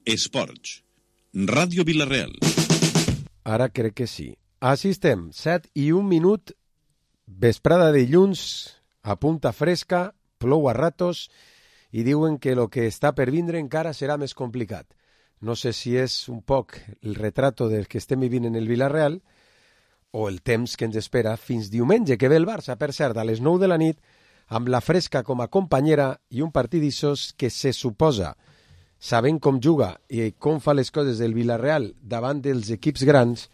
Esports. Ràdio Vila-real. Ara crec que sí. Així estem, 7:01, vesprada de dilluns, a punta fresca, plou a ratos, i diuen que el que està per vindre encara serà més complicat. No sé si és un poc el retrato del que estem vivint en el Vila-real o el temps que ens espera fins diumenge, que ve el Barça, per cert, a les 9 de la nit, amb la Fresca com a companyera i un partidissos que se suposa, sabent com juga i com fa les coses del Vila-real davant dels equips grans,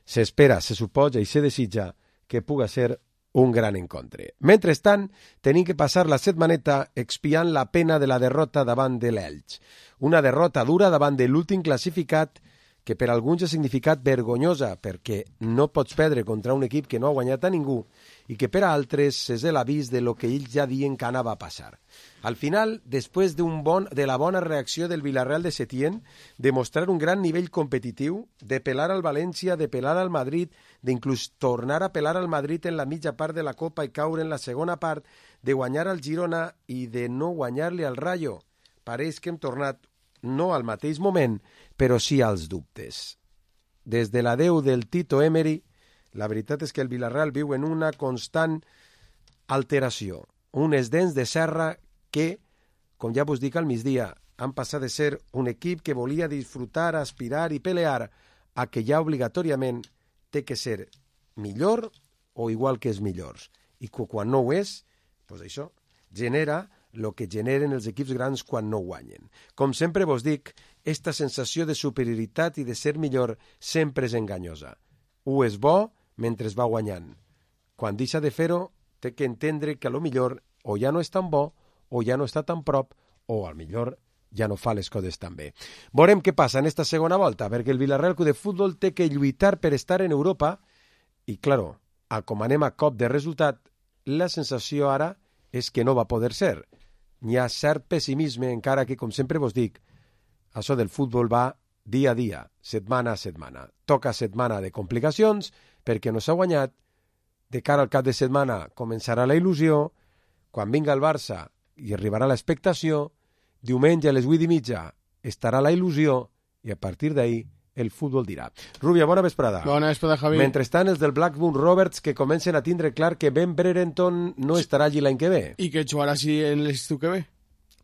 s'espera, se suposa i se desitja que puga ser un gran encontre. Mentrestant, tenim que passar la setmaneta expiant la pena de la derrota davant de l'Elx. Una derrota dura davant de l'últim classificat que per alguns ha significat vergonyosa perquè no pots perdre contra un equip que no ha guanyat a ningú i que per a altres és l'avís de lo que ells ja diuen que anava a passar. Al final, després de la bona reacció del Villarreal de Setién, de mostrar un gran nivell competitiu, de pelar al València, de pelar al Madrid, d'inclús tornar a pelar al Madrid en la mitja part de la Copa i caure en la segona part, de guanyar al Girona i de no guanyar-li al Rayo. Pareix que hem tornat no al mateix moment, però sí als dubtes. Des de l'adeu del Tito Emery, la veritat és que el Villarreal viu en una constant alteració, unes dents de serra que, com ja vos dic al migdia, han passat de ser un equip que volia disfrutar, aspirar i pelear a que ja obligatòriament té que ser millor o igual que els millors. I quan no ho és, doncs això genera el que generen els equips grans quan no guanyen. Com sempre vos dic, esta sensació de superioritat i de ser millor sempre és enganyosa. Ho és bo mentre es va guanyant. Quan deixa de fer-ho, té que entendre que a lo millor o ja no és tan bo, o ja no està tan prop, o al millor ja no fa les coses tan bé. Veurem què passa en esta segona volta, perquè el Villarreal Club de Futbol té que lluitar per estar en Europa i, claro, com anem a cop de resultat, la sensació ara és que no va poder ser. N'hi ha cert pessimisme, encara que, com sempre vos dic, això del futbol va dia a dia, setmana a setmana. Toca setmana de complicacions, perquè no s'ha guanyat. De cara al cap de setmana començarà la il·lusió. Quan vinga el Barça i arribarà l'expectació, diumenge a les 8:30 estarà la il·lusió i a partir d'ahir el futbol dirà. Rubia, bona vesprada. Bona vesprada, Javi. Mentrestant, els del Blackburn Rovers que comencen a tindre clar que Ben Brereton no estarà allí l'any que ve. I que jugarà així en l'estiu que ve.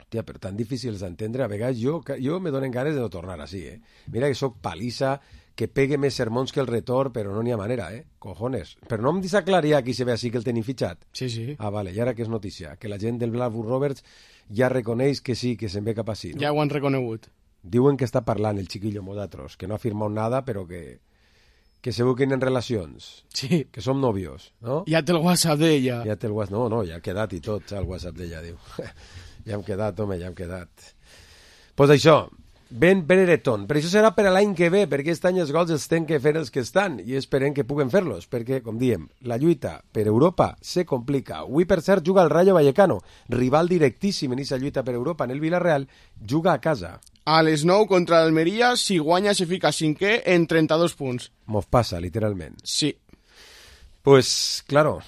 Hòstia, però tan difícils d'entendre. A vegades jo me donen ganes de no tornar així, Mira que sóc palissa, que pegue més sermons que el retor, però no n'hi ha manera, Cojones. Però no em deixa clar ja qui se ve així que el tenim fitxat. Sí. Ah, vale, i ara que és notícia? Que la gent del Blackburn Rovers ja reconeix que sí, que se'n ve cap així, no? Ja ho han reconegut. Diuen que està parlant el chiquillo Modatros, que no ha firmat nada, però que se busquen en relacions. Sí. Que som novios, no? Ja té el WhatsApp d'ella. Ja té el WhatsApp, no, ja ha quedat i tot, el WhatsApp d'ella, diu. Ja hem quedat, home, ja hem quedat. Pues això, Ben Brereton. Però això serà per a l'any que ve, perquè aquest any els gols els tenen que fer els que estan, i esperem que puguen fer-los, perquè, com diem, la lluita per Europa se complica. Avui, per cert, juga el Rayo Vallecano, rival directíssim en aquesta lluita per Europa en el Villarreal, juga a casa. A les 9 contra l'Almeria, si guanya se fica cinquè en 32 punts. Mos passa, literalment. Sí. Pues, claro,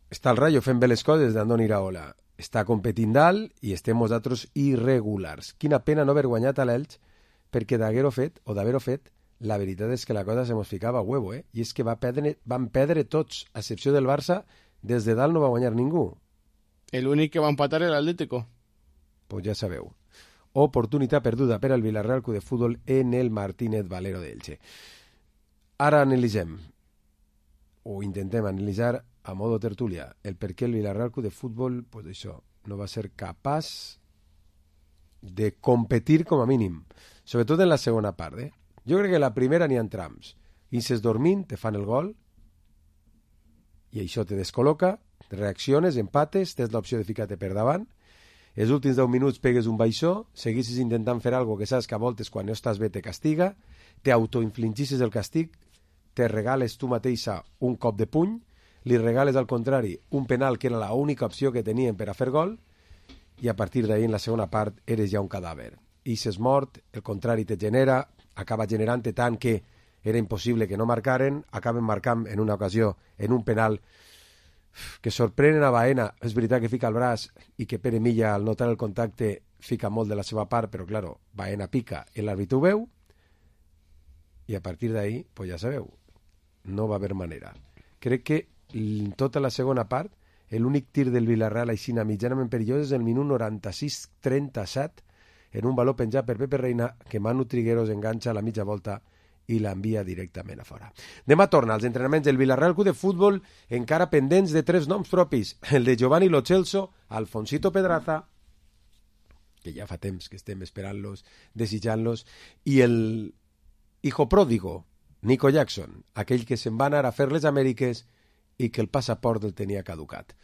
està el Rayo fent bé les coses d'Andoni Iraola. Està competint dalt i estem nosaltres irregulars. Quina pena no haver guanyat a l'Elx, perquè d'haver-ho fet, la veritat és que la cosa se mos ficava a huevo, I és que van perdre tots, a excepció del Barça, des de dalt no va guanyar ningú. L'únic que va empatar era l'Atlético. Pues ja sabeu. Oportunitat perduda per al Villarreal Club de Futbol en el Martínez Valero d'Elche. Ara analitzem, o intentem analitzar a modo tertúlia, el per què el Villarreal Club de Futbol, pues això, no va ser capaç de competir com a mínim, sobretot en la segona part, Jo crec que en la primera n'hi ha trams. Inces dormint, te fan el gol, i això te descol·loca, reacciones, empates, tens l'opció de ficar-te per davant, els últims 10 minuts pegues un baixó, seguissis intentant fer alguna que saps que a voltes quan no estàs bé te castiga, t'autoinfligixes el castig, te regales tu mateixa un cop de puny, li regales al contrari un penal que era l'única opció que tenien per a fer gol i a partir d'ahir en la segona part eres ja un cadàver. Ixes mort, el contrari te genera, acaba generant-te tant que era impossible que no marcaren, acaben marcant en una ocasió, en un penal que sorprenen a Baena. És veritat que fica el braç i que Pere Milla al notar el contacte fica molt de la seva part, però, claro, Baena pica, l'àrbitre ho veu, i a partir d'ahí, pues ja sabeu, no va haver manera. Crec que en tota la segona part, l'únic tir del Villarreal aixina mitjanament perillós és el minut 96-37, en un baló penjat per Pepe Reina, que Manu Trigueros enganxa a la mitja volta i l'envia directament a fora. Demà torna als entrenaments del Villarreal Club de Futbol, encara pendents de 3 noms propis, el de Giovanni Lo Celso, Alfonsito Pedraza, que ja fa temps que estem esperant-los, desitjant-los, i el hijo pródigo, Nico Jackson, aquell que se'n va anar a fer les Amèriques i que el passaport el tenia caducat.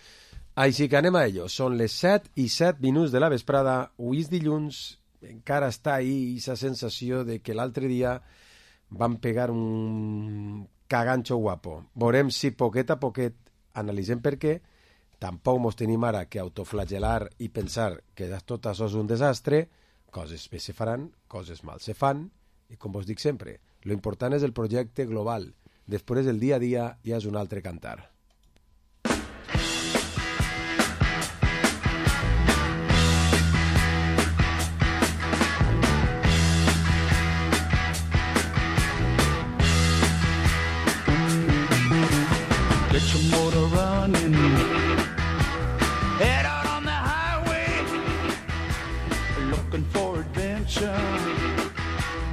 Així que anem a ello. Són les 7:07 de la vesprada, avui és dilluns, encara està ahí aquesta sensació de que l'altre dia van pegar un caganxo guapo. Veurem si poquet a poquet analitzem per què. Tampoc mos tenim ara que autoflagelar i pensar que tot això és un desastre. Coses bé se faran, coses mal se fan, i com vos dic sempre, lo important és el projecte global. Després el dia a dia ja és un altre cantar. Get your motor running, head out on the highway, looking for adventure,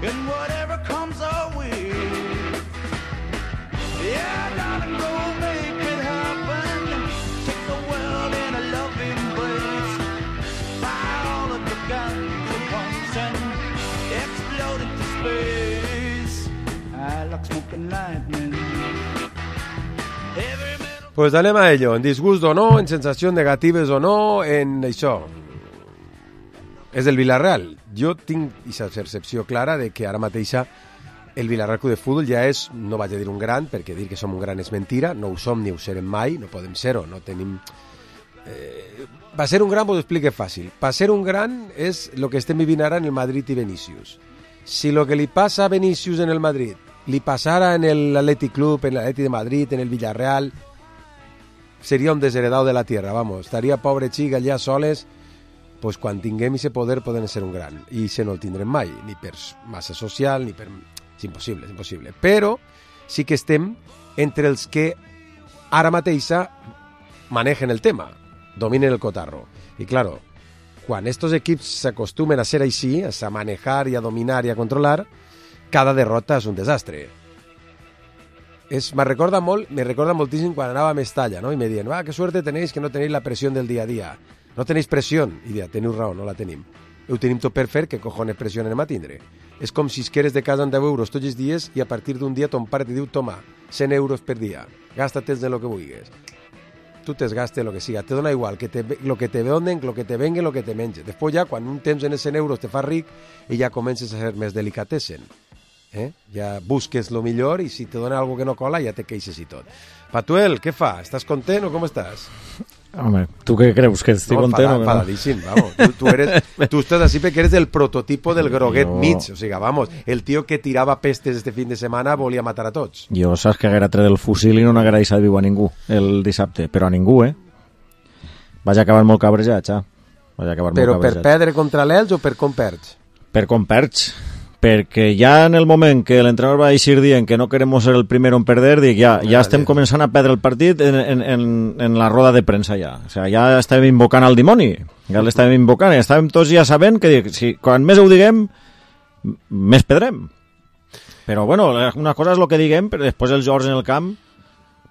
and whatever comes our way. Yeah, darling, go make it happen, take the world in a loving embrace, fire all of the guns at once and explode into space. I like smoking lightning. Pues anem a ello, en disgust o no, en sensacions negatives o no, en això. És el Villarreal. Jo tinc aquesta percepció clara de que ara mateixa el Villarreal Club de Futbol ja és, no vaig a dir un gran, perquè dir que som un gran és mentira, no ho som ni ho serem mai, no podem ser-ho, no tenim... Va ser un gran, vos ho explique fàcil. Va ser un gran és el que estem vivint ara en el Madrid i Vinícius. Si lo que li passa a Vinícius en el Madrid li passara en l'Atlètic Club, en l'Atlètic de Madrid, en el Villarreal, seria un desheredado de la tierra, vamos. Estaria pobre xic allà soles, pues quan tinguem ese poder poden ser un gran. I se no el tindrem mai, ni per massa social, ni per... És impossible, és impossible. Però sí que estem entre els que ara mateixa manegen el tema, dominen el cotarro. I claro, quan estos equips s'acostumen a ser així, a manejar i a dominar i a controlar, cada derrota és un desastre. Me recorda moltíssim quan anava a Mestalla, ¿no? Y me diuen, qué suerte tenéis que no tenéis la presión del día a día. No tenéis presión. I diuen, teniu raó, no la tenim. Ho tenim tot per fer, que cojones pressió anem a tindre? És com si queres de casa amb 10 euros tots els dies i a partir d'un dia ton pare te diu, toma, 100 euros per dia, gasta-te'ls de lo que vulguis. Tu te'ls gastes lo que siga, te dona igual, lo que te donen, lo que te venguen, lo que te menges. Després ja, quan un temps en els 100 euros te fa ric i ja comences a ser més delicatessen. Ja busques lo millor i si te dona algo que no cola ja te queixes i tot. Patuel, què fa? Estàs content o com estàs? Home, tu què creus? Que estic content o que no? Enfadadíssim, vamos. Tú estás así porque eres el prototipo del groguet mig. O sigui, vamos, el tío que tirava pestes este fin de setmana volia matar a tots. Jo saps que haguera tret el fusil i no n'haguera deixat viu a ningú el dissabte, però a ningú, Vaig acabar molt cabrejat, ja. Però per perdre contra l'Elx o per com perds? Per com perds. Perquè ja en el moment que l'entrenador va eixir dient que no queremos ser el primero en perder, dic, ja estem començant a perdre el partit en la roda de premsa ja. O sigui, ja estàvem invocant al dimoni, ja l'estàvem invocant, i estàvem tots ja sabent que si quan més ho diguem, més perdrem. Però bueno, una cosa és el que diguem, però després els jugadors en el camp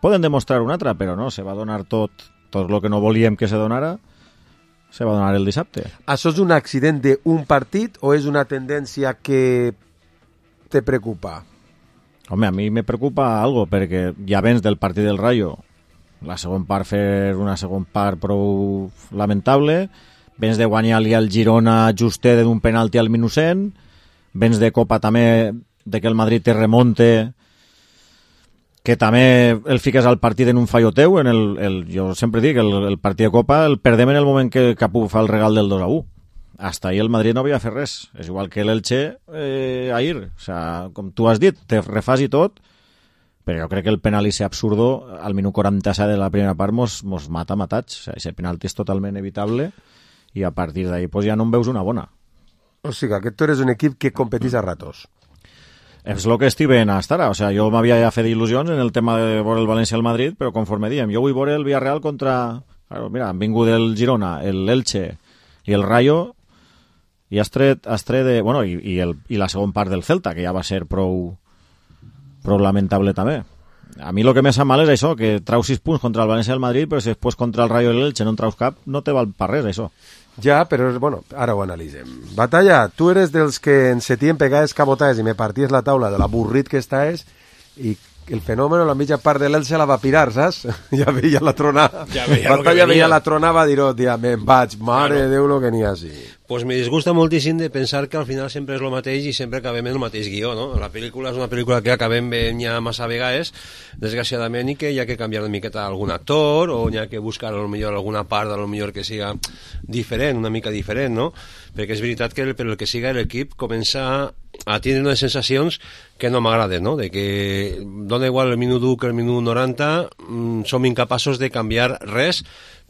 poden demostrar una altra, però no, se va donar tot el que no volíem que se donara, se va donar el dissabte. Això és un accident d'un partit o és una tendència que te preocupa? Home, a mi me preocupa algo, perquè ja vens del partit del Rayo, la segona part fer una segona part prou lamentable, vens de guanyar-li al Girona justet d'un penalti al minut 100, vens de Copa també, de que el Madrid te remonte, que també el fiques al partit en un fallo teu, jo sempre dic, el partit de Copa el perdem en el moment que Capú fa el regal del 2-1. Hasta ahí el Madrid no havia fet res. És igual que l'Elche ahir. O sea, com tu has dit, te refas i tot, però jo crec que el penal ese absurdo al minut 47 de la primera part mos mata matats. O sea, ese penalti és totalment evitable i a partir d'ahí pues, ja no en veus una bona. O sigui, que tu eres un equip que competís a ratos. És el que estic veient hasta ara. O sea, jo m'havia ja fet il·lusions en el tema de veure el València al Madrid, però conforme diem, jo vull veure el Villarreal contra... Claro, mira, han vingut el Girona, el Elche i el Rayo i has tret de... Bueno, i la segona part del Celta, que ja va ser prou lamentable també. A mi el que me sap mal és això, que trau 6 punts contra el València i el Madrid, però si després contra el Rayo i l'Elche no en traus cap, no te val per res, això. Ja, però, bueno, ara ho analitzem. Batalla, tu eres dels que en setien pegaves cabotades i me parties la taula de l'avorrit que estàs i el fenomen, la mitja part de l'Elche la va pirar, saps? Ja veia la tronada. Batalla veia la tronada, va dir, tia, me'n vaig, mare de Déu lo que n'hi ha, sí. Pues me disgusta moltíssim de pensar que al final sempre és el mateix i sempre acabem en el mateix guió, no? La pel·lícula és una pel·lícula que acabem veient ja massa vegades, desgraciadament, i que hi ha que canviar una miqueta algun actor o hi ha que buscar a lo millor alguna part a lo millor que siga diferent, una mica diferent, no? Perquè és veritat que per el que siga l'equip comença a tindre unes sensacions que no m'agraden, no? De que dona igual el minut 1 que el minut 90, som incapaços de canviar res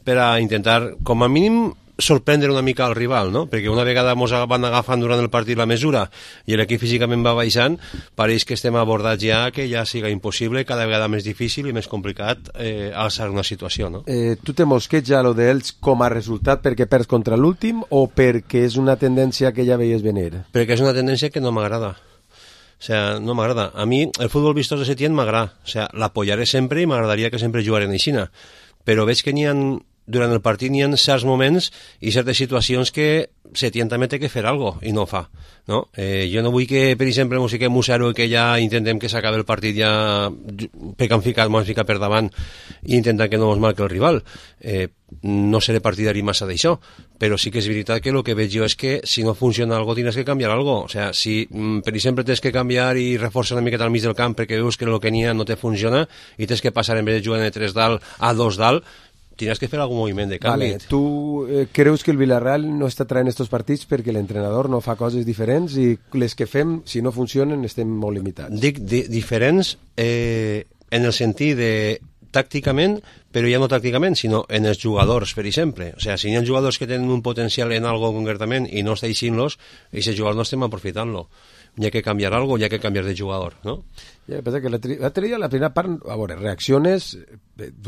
per a intentar, com a mínim, sorprendre una mica el rival, no? Perquè una vegada ens van agafant durant el partit la mesura i l'equip físicament va baixant, pareix que estem abordats ja que ja siga impossible, cada vegada més difícil i més complicat alçar una situació, no? Tu te mosqueja lo d'ells com a resultat perquè perds contra l'últim o perquè és una tendència que ja veies venir? Perquè és una tendència que no m'agrada. O sea, no m'agrada. A mi el futbol vistós de Setién m'agrada. O sea, l'apoyaré sempre i m'agradaria que sempre jugaren aixina. Però veig que n'hi ha... Durant el partit n'hi ha certs moments i certes situacions que Setién també té que fer alguna cosa i no ho fa, no? Jo no vull que, per exemple, ens fiquem 1-0 i que ja intentem que s'acabi el partit ja perquè m'han ficat per davant i intentant que no ens marqui el rival. No seré partidari massa d'això, però sí que és veritat que el que veig jo és que si no funciona alguna cosa tindràs que canviar alguna cosa. O sea, si, per exemple, tens que canviar i reforçar una miqueta al mig del camp perquè veus que el que n'hi ha no te funciona i tens que passar en vez de jugar de 3 dalt a 2 dalt, tienes que fer algun moviment de canvi. Vale. Tu creus que el Villarreal no està traient estos partits perquè l'entrenador no fa coses diferents i les que fem, si no funcionen, estem molt limitats? Dic diferents en el sentit de tàcticament, però ja no tàcticament, sinó en els jugadors, per exemple. O sigui, si hi ha jugadors que tenen un potencial en algo concretament i no està eixint-los, aquests jugadors no estem aprofitant-lo. Hi ha que canviar algo, hi ha que canviar de jugador, no? Ja, pensa que l'altre dia, la primera part, a veure, reacciones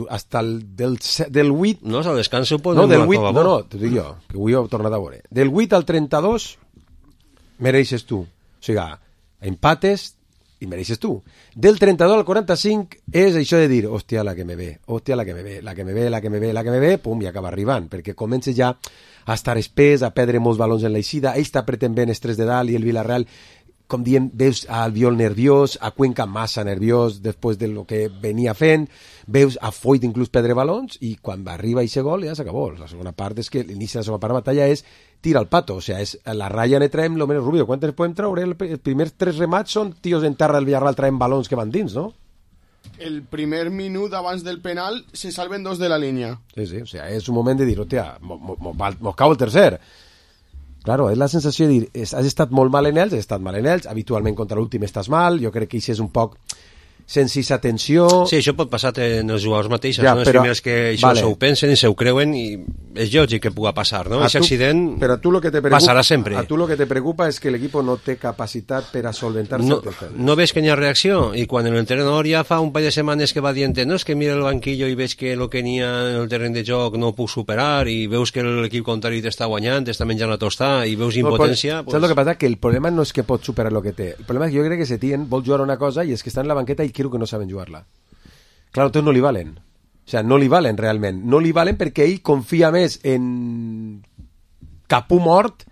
hasta del 8... No, al descans ho no, del 8, no, t'ho dic jo, que avui ho he tornat a veure. Del 8 al 32 mereixes tu. O sigui, empates i mereixes tu. Del 32 al 45 és això de dir, hòstia, la que me ve, hòstia, la que me ve, la que me ve, la que me ve, la que me ve, pum, i acaba arribant, perquè comences ja a estar espès, a perdre molts balons en l'eixida, ell està apretant ben els 3 de dalt i el Villarreal, com diem, veus a Albiol nerviós, a Cuenca massa nerviós després de lo que venia fent, veus a Foyt inclús perdre balons i quan arriba aquest gol ja s'acabó. La segona part és que l'inici de la segona part de batalla és tira al pato, o sea, és la ratlla ne traiem lo menos rubio. Quantes podem treure? Els primers 3 remats són tios en terra del Villarreal traient balons que van dins, no? El primer minut abans del penal se salven 2 de la línia. Sí, sí, o sea, és un moment de dir, hòstia, mos cau el tercer. Claro, és la sensació de dir, has estat molt mal en ells, has estat mal en ells, habitualment contra l'últim estàs mal, jo crec que això és un poc sense aquesta tensió... Sí, això pot passar en els jugadors mateixos, ja, no? Els primers que això vale. S'ho pensen i s'ho creuen i és lògic que pugui passar, no? Aquest accident passarà sempre. A tu el que te preocupa és que l'equip no té capacitat per a solventar-se. No ves que n'hi ha reacció i quan l'entrenador ja fa un parell de setmanes que va dient no, és que mira el banquillo i veig que el que n'hi ha en el terreny de joc no ho puc superar i veus que l'equip contrari t'està guanyant, t'està menjant la tostada i veus impotència... Saps el que passa? Que el problema no és que pot superar el que té. El problema és que jo crec que Setién vol jugar una cosa i és que està en la banqueta i creo que no saben jugar-la. Claro, entonces no li valen. O sea, no li valen realment. No li valen perquè ell confia més en Capú mort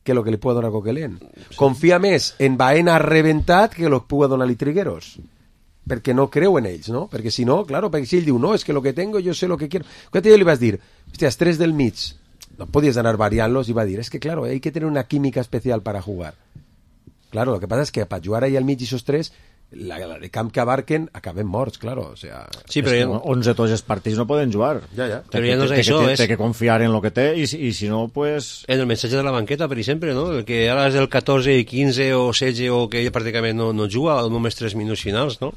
que el que li pugui donar Coquelin. Sí. Confia més en Baena reventat que el que pugui donar-li Trigueros. Perquè no creu en ells, no? Perquè si no, claro, perquè si ell diu, no, és que lo que tengo, yo sé lo que quiero. Quan jo li vas dir, hòstia, els 3 del mig, no podies anar variant-los i va dir, és que claro, hay que tener una química especial para jugar. Claro, lo que pasa es que para jugar ahí al mig esos 3 la de camp que abarquen acabem morts, claro, o sea... Sí, però ja... 11 tots els partits no poden jugar. Ja. Però ja no és això, té que confiar en lo que té i si no, pues... En el missatge de la banqueta, per exemple, no? El que ara és del 14 i 15 o 16 o que ella pràcticament no juga, només 3 minuts finals, no?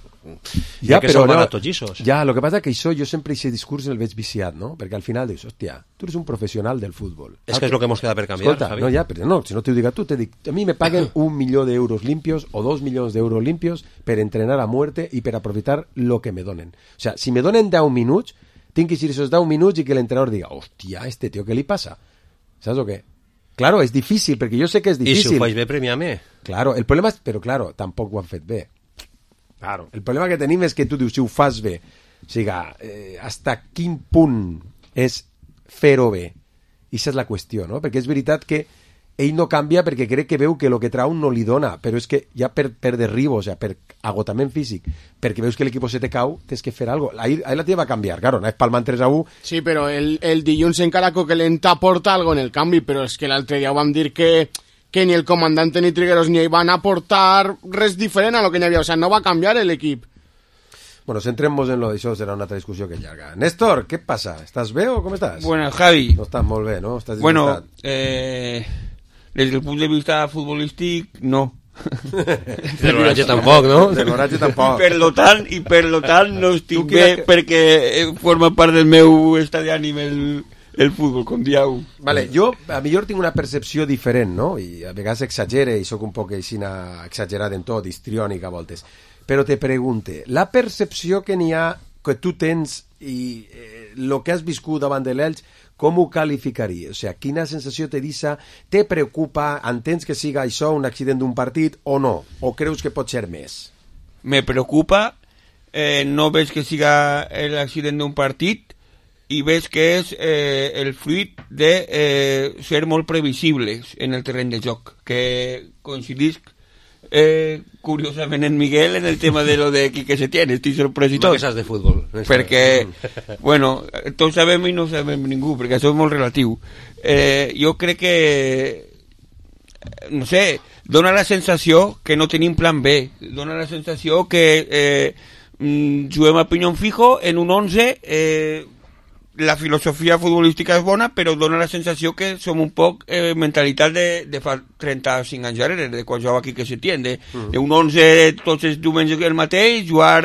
Ja que són baratos, llisos. Ja, el que passa que això, jo sempre aquest discurs el veig viciat, no? Perquè al final dius, hòstia, tu eres un professional del futbol. És que és el que mos queda per canviar, Escolta, Javi. no, ja, però no, si no t'ho dic a tu, te dic, a mi me paguen 1 milió d'euros limpios o 2 milions d'euros limpios per entrenar a muerte i per aprofitar lo que me donen. O sea, si me donen 10 minuts, tinc que ir esos 10 minuts i que l'entrenador diga, hòstia, este tío, què li passa? Saps o què? Claro, és difícil, perquè jo sé que és I difícil. si ho faig bé, premiar-me. Claro, el problema és... Però, claro, tampoc ho han fet bé. Claro. El problema que tenim és que tu dius, si ho fas bé, o sigui, hasta quin punt és fer-ho bé? I aquesta és la qüestió, no? Perquè és veritat que ell no canvia perquè crec que veu que el que trau no li dona, però és que ja per derribo, o sigui, per agotament físic, perquè veus que l'equip se te cau, tens que fer alguna cosa. Ahir la tia va canviar, claro, no és palmant 3-1. Sí, però el dilluns encara Coquelin t'aporta algo en el canvi, però és que l'altre dia ho vam dir que ni el comandante ni Trigueros ni ell van aportar res diferent a lo que n'hi havia, o sea, no va canviar l'equip. Bueno, centrem-nos en lo d'això, serà una altra discussió que llarga. Néstor, què passa? Estàs bé o com estàs? Bueno, Javi, No estàs molt bé, no? Estàs bueno, disgustat. desde el punto de vista futbolístic, no. De l'oratge tampoc, no? De l'oratge tampoc. I per lo tant no estic Tu bé quina- perquè forma part del meu estat d'ànim el futbol, com dieu. Vale, jo a millor tinc una percepció diferent, no? I a vegades exagere i sóc un poc així exagerat en tot, histriònic a voltes. Però te pregunte, la percepció que n'hi ha, que tu tens i el que has viscut davant de l'Elx, com ho qualificaries? O sigui, quina sensació te deixa? Te preocupa? Entens que siga això un accident d'un partit o no? O creus que pot ser més? Me preocupa, no veig que siga l'accident d'un partit i veig que és el fruit de ser molt previsibles en el terreny de joc, que coincidisc curiosament en Miguel en el tema de lo de Quique Setién, estic sorprès i tot. Que saps de futbol. Perquè, bueno, tots sabem i no sabem ningú, perquè això és molt relatiu. Jo crec que, no sé, dona la sensació que no tenim plan B, dona la sensació que juguem a pinyón fijo en un 11, la filosofia futbolística és bona, però dona la sensació que som un poc mentalitat de fa 35 anys darrere, de quan jugava Quique Setién, d'un 11 tots els diumenges el mateix, jugar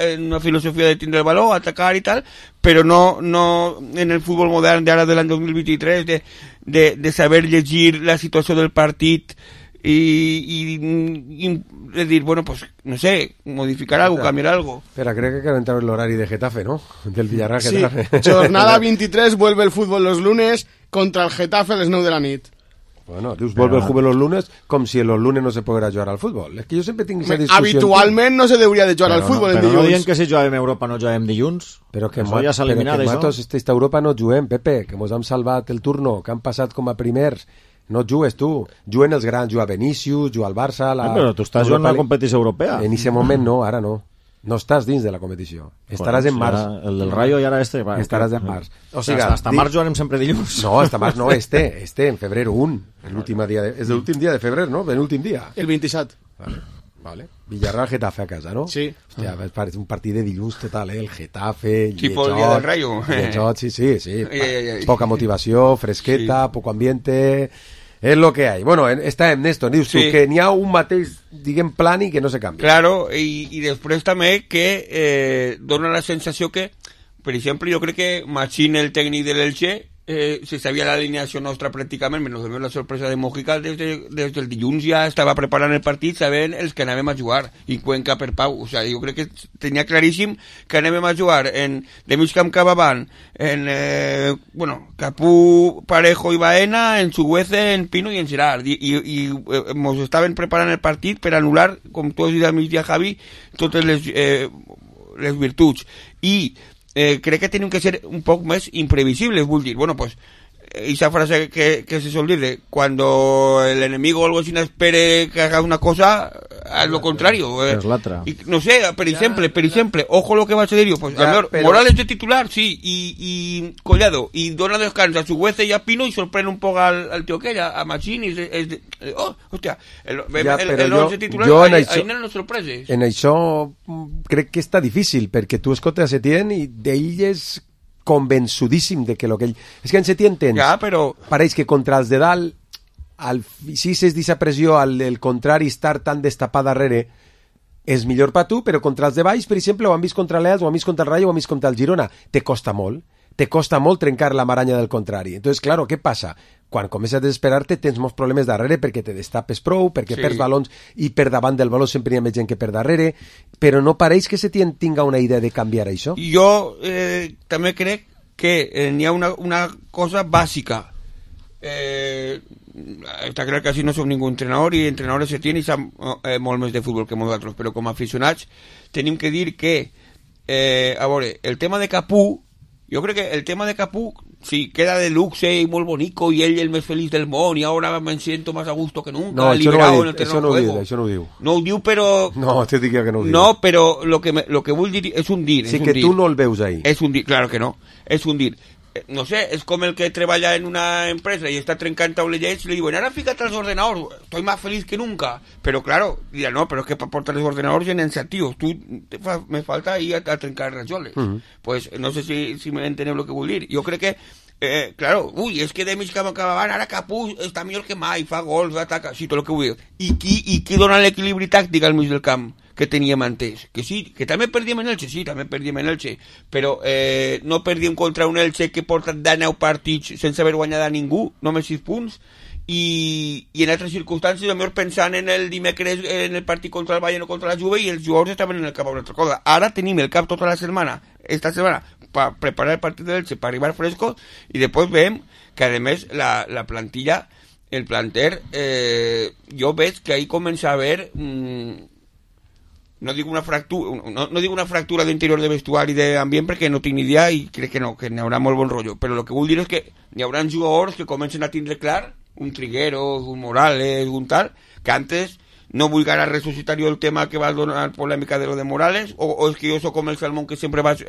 en una filosofia de tindre el valor, atacar i tal, però no en el futbol modern d'ara de l'any 2023 de saber llegir la situació del partit y de dir, bueno, pues, no sé, modificar algo, cambiar algo. Espera, crec que cal entrar en l'horari de Getafe, ¿no? Del Villarreal Sí, Getafe. jornada 23, vuelve el fútbol los lunes contra el Getafe a les 9 de la nit. Bueno, dius, vuelve el juego los lunes com si los lunes no se poguera jugar al futbol. És que jo sempre tinc aquesta discussió. Habitualment no se deuria de jugar al fútbol el Però no diuen dilluns. que si juguem a Europa no juguem dilluns. Però que, Això ja s'ha eliminat, això. nosaltres esta Europa no juguem, Pepe, que mos hem salvat el turno, que han passat com a primers. No jugues tu, juguen els grans, juga Vinícius, juga el Barça... Però tu estàs jugant a la competició europea. En aquest moment no, ara no. No estàs dins de la competició. Estaràs en març. El del Rayo i ara este. Va, Estaràs en març. O sigui, hasta març jugarem sempre dilluns. No, hasta març no, en febrer 1. L'últim dia és l'últim dia de febrer, no? L'últim dia. El 27. Vale. Villarreal Getafe a casa, no? Sí. Hòstia, és un partit de dilluns total, El Getafe, Tipo el día del Rayo. Llejot, sí. Ai. Poca motivació, fresqueta, poco ambiente... És lo que hay. Bueno, estem, Néstor, dius tu, Sí. que n'hi ha un mateix, diguem, plan i que no se canvia. Claro, i després també que dona la sensació que, per exemple, jo crec que Machín, el tècnic de l'Elche, se sabia l'alineació nostra pràcticament, menys de la sorpresa de Mojica, des del dilluns ja estava preparant el partit sabent els que anàvem a jugar, i Cuenca per Pau. O sigui, jo crec que tenia claríssim que anàvem a jugar de mig camp cap avant, Capú, Parejo i Baena, en Chuguece, en Pino i en Gerard, i mos estaven preparant el partit per anul·lar, com tu has dit al migdia, Javi, totes les virtuts. I crec que tenim que ser un poc més imprevisibles, vull dir, bueno, pues esa frase que se sol dir de cuando el enemigo o algo así no espere que haga una cosa, haz lo contrario. Es l'altra. Y, no sé, per exemple, ojo lo que va a ser yo, pues Ya, a ver, pero- Morales de titular, sí, y Collado, y dona descanso a su huece y a Pino y sorprende un poco al tío que a Machín y hostia, el però once titular, jo en ahí això- no nos sorpreses. En això crec que està difícil, perquè tu escoltes a Setién i d'ell és convençudíssim de que lo que ell... És que en Setién tens... Ja, però... Pareix que contra els de dalt, si és d'aquesta pressió, el contrari estar tan destapat darrere, és millor per tu, però contra els de baix, per exemple, ho han vist contra l'Elx, ho han vist contra el Rayo, ho han vist contra el Girona. Te costa molt trencar la maranya del contrari. Entonces, claro, què passa? Quan comences a desesperar-te tens molts problemes darrere perquè te destapes prou, perquè perds balons i per davant del baló sempre hi ha més gent que per darrere, però no pareix que se tinga una idea de canviar això? Jo també crec que n'hi ha una cosa bàsica. Està clar que així no som ningú entrenador i entrenadors se tienen i sap molt més de futbol que nosaltres, però com a aficionats tenim que dir que a veure, el tema de Capú, jo crec que el tema de Capú sí, queda de luxe i molt bonico i ell el més feliç del món i ara me siento más a gusto que nunca. No, això no ho diu. No ho diu, però... No, te dic que no ho diu. No, però lo que vull dir és un dir. Sí, que tu no el veus ahí. És un dir, claro que no. És un dir. No sé, és com el que treballa en una empresa y está trencant taulellets y le digo, ahora fíjate a los ordenadores, estoy más feliz que nunca. Pero claro, dirá, no, pero es que para portar los ordenadores llenen tíos, me falta ir a trencar rajoles. Pues no sé si me enteneu lo que vull dir. Jo crec que claro, és que de mig que m'acabaven, ara Capú està millor que mai, fa gols, ataca, sí, tot el que vull dir. I qui dona l'equilibri tàctic al mig del camp que teníem antes? Que sí, que també perdíem en Elche, sí, també perdíem en Elche, però no perdíem contra un Elche que porta 19 partits sense haver guanyat a ningú, només 6 punts, i en altres circumstàncies, millor pensant en el dimecres, en el partit contra el Bayern o contra la Juve, i els jugadors estaven en el cap a una altra cosa. Ara tenim el cap tota la setmana, esta setmana, para preparar el partido del Elche, para arribar frescos, y después ven que además la plantilla, el planter, yo ves que ahí comienza a haber, no digo una fractura de interior de vestuari de ambient perquè no tinc ni idea i crec que no, que n'hi haurà molt bon rotllo, però el que vull dir és que n'hi haurà jugadors que comencen a tindre clar, un Trigueros, un Morales, un tal, que antes no vull ara resucitar jo el tema que va donar polèmica de lo de Morales, o és que jo soc com el Salmón que sempre vas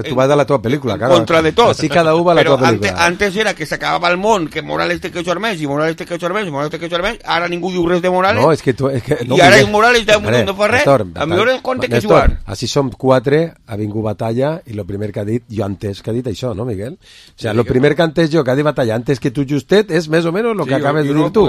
tu vas de la tua pel·lícula, claro. Contra de tot. Así cada uno va a la tua pel·lícula. Antes era que s'acabava el món, que Morales té que eixar més, i Morales té que eixar més, i Morales té que eixar més, ara ningú diu res de Morales. No, és que tu... I ara és Morales no fa res, a millor el compte que jugar. Així som 4, ha vingut Batalla, i el primer que ha dit, jo antes que ha dit això, no, Miguel? O sea, el primer que antes jo, que ha dit Batalla, antes que tu justet, és més o menys el que acabes de dir tu.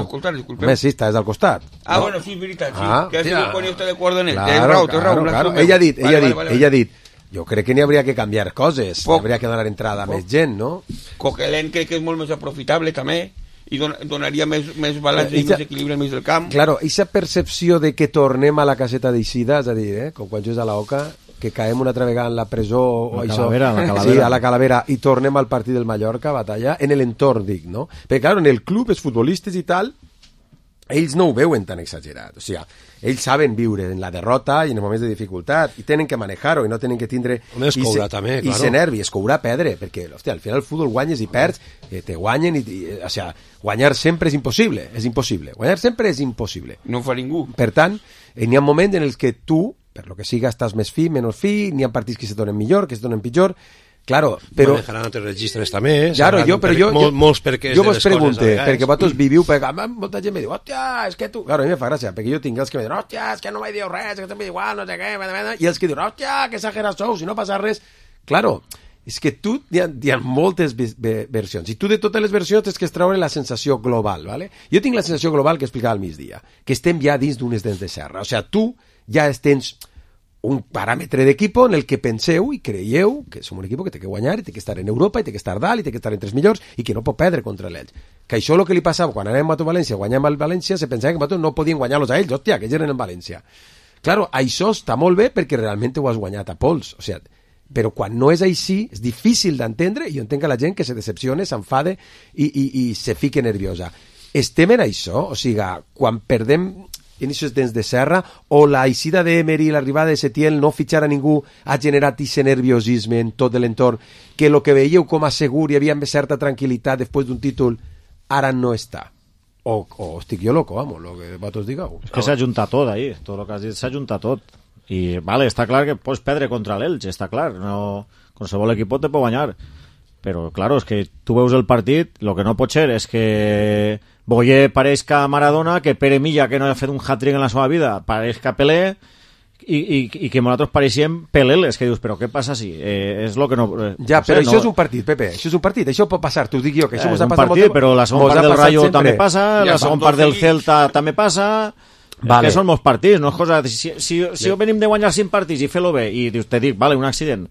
Més, sí, estàs al costat. Ah, bueno, sí, veritat, sí. Que ha sigut quan jo estic d'acord en ell. Claro. Ella ha dit, jo crec que n'hi hauria que canviar coses, hauria que donar entrada a més gent, no? Coquelin crec que és molt més aprofitable també, i donaria més balanç i més equilibri al mig del camp. Claro, aquesta percepció de que tornem a la caseta d'Eixida, és a dir, com quan jugues a la Oca, que caem una altra vegada en la presó o això, sí, a la Calavera, i tornem al partit del Mallorca, Batalla, en l'entorn, dic, no? Perquè, claro, en el club, els futbolistes i tal, ells no ho veuen tan exagerat, o sigui, ells saben viure en la derrota i en els moments de dificultat i tenen que manejar-ho i no tenen que tindre es courà també, claro. I ser nervi, es courà perdre, perquè hòstia, al final el futbol guanyes i perds, te guanyen o sigui, guanyar sempre és impossible, guanyar sempre és impossible, no ho fa ningú. Per tant, n'hi ha moments en els que tu, per lo que siga, estàs més fi, menys fi, n'hi ha partits que se donen millor, que se donen pitjor. Claro, però... Manejaran altres registres també. Claro, molts perquès jo vos pregunte, perquè vosaltres viviu, perquè molta gent me diu, hòstia, és que tu... Claro, a mi me fa gràcia, perquè jo tinc els que me diuen, hòstia, és que no m'he dit res, és que també igual, no sé què, i els que diuen, hòstia, que exagerat sou, si no passa res... Claro, és que tu hi ha moltes versions, i tu de totes les versions tens que extraure la sensació global, ¿vale? Jo tinc la sensació global que explicava al migdia, que estem ja dins d'unes dents de serra, o sigui, tu ja tens un paràmetre d'equipo en el que penseu i creieu que som un equip que té que guanyar i té que estar en Europa i té que estar dalt i té que estar entre els millors i que no pot perdre contra l'Elx. Que això el que li passava quan anàvem a València, guanyàvem al València, se pensava que nosaltres no podien guanyar-los a ells, hòstia, que ells eren en València. Claro, això està molt bé perquè realment ho has guanyat a pols, o sigui, però quan no és així és difícil d'entendre i jo entenc que la gent que se decepcione, s'enfade i se fique nerviosa. Estem en això, o sigui, quan perdem en aquests dents de serra, o la eixida d'Emery i l'arribada de Setién, no fitxar a ningú, ha generat aquest nerviosisme en tot l'entorn, que el que veieu com a segur i havia certa tranquil·litat després d'un títol, ara no està. O estic jo loco, vamos, lo que vosaltres digueu. És que s'ha juntat tot ahí, tot el que has dit s'ha juntat tot. I, vale, està clar que pots perdre contra l'Elx, està clar, no, qualsevol equip te pot guanyar. Però, claro, és que tu veus el partit, el que no pot ser és que Boyer pareixca Maradona, que Pere Milla, que no ha fet un hat-trick en la seva vida, pareixca Pelé, i que nosaltres pareixíem Peleles, que dius, però què passa si? És lo que no... Ja, però això és un partit, Pepe, això és un partit, això pot passar, t'ho dic jo, que això mos ha passat molt... Però la segona part del Rayo també passa, la segona part del Celta també passa... Vale. Que són molts partits, no és cosa... Si venim de guanyar 5 partits i fer-lo bé, i te dic, vale, un accident,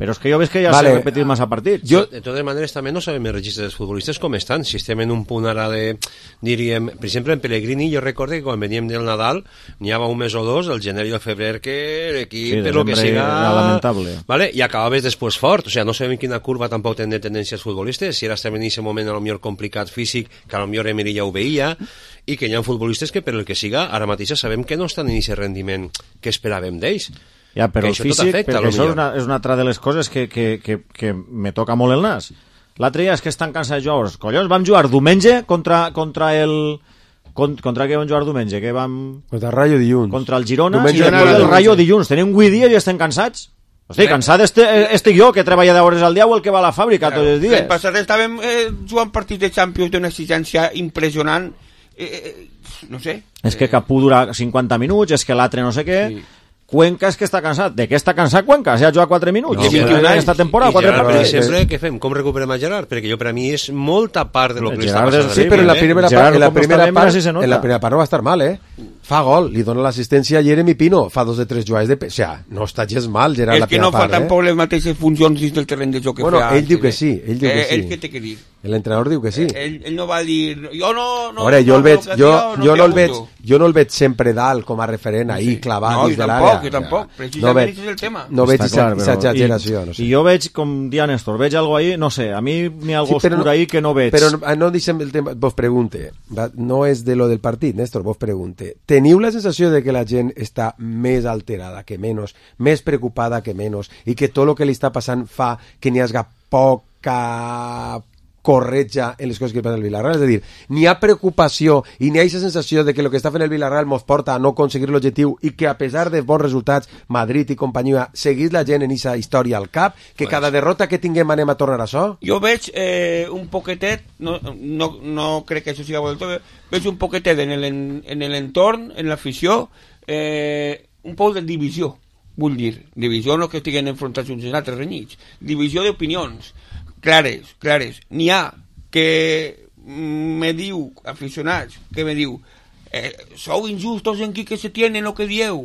però és que jo veig que ja s'ha repetit massa partits. De totes maneres, també no sabem els registres dels futbolistes com estan. Si estem en un punt ara de, diríem, per exemple, en Pellegrini, jo recordo que quan veníem del Nadal, n'hi havia un mes o dos, el gener i el febrer, que l'equip, Sí, per lo que siga... era lamentable. Vale? I acabaves després fort. O sea, no sabem quina curva tampoc tenen tendència els futbolistes. Si ara estem en aquest moment a lo millor complicat físic, que a lo millor Emery ja ho veia, i que hi ha futbolistes que per el que siga, ara mateix sabem que no estan en aquest rendiment que esperàvem d'ells. Ja, però el això tot físic, afecta, perquè això potser. és una altra de les coses que me toca molt el nas. L'altre dia és que estan cansats de jugadors. Collons, vam jugar diumenge contra el... Contra què vam jugar diumenge? Que vam... Contra el Rayo dilluns. Contra el Girona Diumenge i després era el diumenge. Rayo dilluns. Tenim 8 dies i estem cansats. Hosti, cansat estic jo, que treballa d'hores al dia o el que va a la fàbrica tots els dies. L'any passat estàvem jugant partits de Champions d'una exigència impressionant. No sé. És que Capú dura 50 minuts, és que l'altre no sé què... Sí. Cuenca és que està cansat. De què està cansat Cuenca? Si ha jugat 4 minuts. No, I 21 anys esta temporada, I 4 Gerard, per partits. exemple, què fem? Com recuperem a Gerard? Perquè jo, per a mi, és molta part de lo que li està Gerard passant. Sí, però en la primera Gerard, part, en la com primera està bé, part, mira si se nota. en la primera part no va estar mal, Fa gol, li dona l'assistència a Jeremy Pino, fa 2 de 3 jugades de... O sea, no està gens mal, Gerard, És la que primera no fa part, tampoc les mateixes funcions dins del terreny de joc que Bueno, fa ell diu que antes, sí, ell diu que sí. Ell què té que dir? L'entrenador diu que sí. Ell no va dir... Jo no... A veure, jo el veig, no jo no el veig sempre dalt com a referent ahí, clavat No, dins jo de tampoc, l'àrea. jo tampoc. No Precisament veig, aquest és el tema. no veig Està clar, aquesta però- exageració, no sé. I jo veig, com dia Néstor, veig algo ahí, no sé, a mi n'hi ha algo oscur ahí que no veig. Però no deixem el tema, vos pregunte, no és de lo del partit, Néstor, vos pregunte, teniu la sensació de que la gent està més alterada que menys, més preocupada que menys, i que tot el que li està passant fa que n'hi hagi poca corretja en les coses que passa al Villarreal, és a dir, n'hi ha preocupació i n'hi ha aquesta sensació de que el que està fent el Villarreal mos porta a no aconseguir l'objectiu i que a pesar de bons resultats, Madrid i companyia, seguís la gent en aquesta història al cap, que cada derrota que tinguem anem a tornar a això? Jo veig un poquetet, no crec que això sigui vol tot, veig un poquetet en l'entorn, en l'afició, un poc de divisió, vull dir, divisió no que estiguen enfrontats uns en altres renyits, divisió d'opinions, clares. N'hi ha que me diu, aficionats, que me diu sou injustos en qui que se tiene lo que dieu,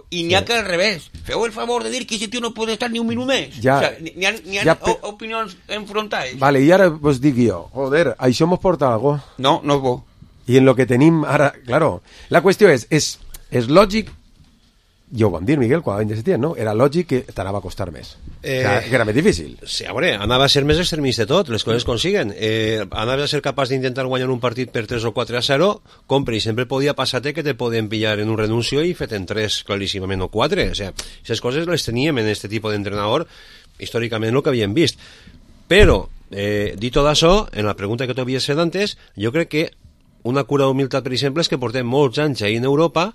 i n'hi ha que al revés, feu el favor de dir que ese tío no pot estar ni un minut més. Ja, o sea, n'hi ha opinions enfrontades. Vale, i ara vos dic jo, joder, això mos porta algo. No és bo. I en lo que tenim ara, claro, la qüestió és lògic, ja ho vam dir, Miguel, quan vam de setembre, no? Era lògic que t'anava a costar més. Que era més difícil. Sí, a veure, anava a ser més extremista tot, les coses consiguen. Anava a ser capaç d'intentar guanyar un partit per 3 o 4-0, compre, i sempre podia passar-te que te podien pillar en un renuncio i fet en 3, claríssimament, o 4. O sea, aquestes coses les teníem en este tipus d'entrenador, històricament el que havíem vist. Però, dit tot això, en la pregunta que t'havies fet antes, jo crec que una cura d'humilitat, per exemple, és que portem molts anys ahir en Europa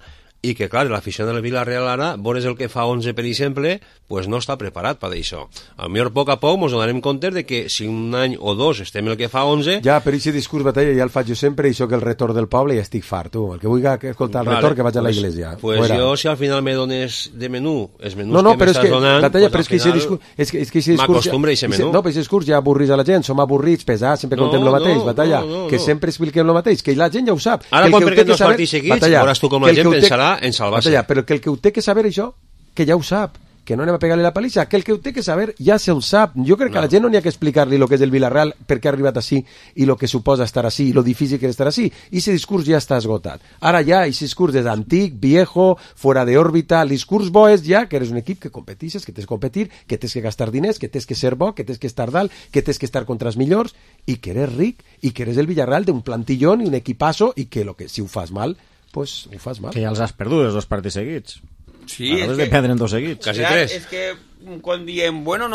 i que, clar, l'afició del Villarreal ara, veure el que fa 11, per exemple, pues no està preparat per això. A millor, a poc a poc, ens donarem compte de que si un any o dos estem el que fa 11... Ja, però aquest discurs, Batalla, ja el faig jo sempre, i soc el retor del poble i estic fart, tu. El que vulgui escoltar el retor, que vaig a la iglesia. Pues Fuera. jo, si al final me dones de menú, els menús No, que però és m'estàs que, donant, Batalla, pues però és que aquest discurs... És que aquest discurs m'acostumbra a aquest menú. No, però aquest discurs ja avorrís a la gent, som avorrits, pesats, sempre No, contem el mateix, no, Batalla, no, que sempre expliquem el mateix, que la gent ja ho sap. Ara, Que el quan que ho perdem té que dos saber- partits seguits, Batalla, veuràs tu com que la el gent que ho té- pensarà en salvar-se. Batalla, però que el que ho té que saber això, que ja ho sap, que no anem a pegar-li la palissa, que el que ho té que saber ja se ho sap. Jo crec que a la gent no n'hi ha que explicar-li el que és el Villarreal, per què ha arribat així i el que suposa estar així, i lo difícil que és estar així. I aquest discurs ja està esgotat. Ara ja, aquest discurs és antic, viejo, fora de òrbita. El discurs bo és ja que eres un equip que competixes, que tens que competir, que tens que gastar diners, que tens que ser bo, que tens que estar dalt, que tens que estar contra els millors, i que eres ric, i que eres el Villarreal d'un plantillón i un equipazo, i que, si ho fas mal, pues ho fas mal. Que ja els has perdut, els 2 partits seguits. Sí, Acabes de perdre en 2 seguits. Quasi clar, 3. És que quan diem, bueno,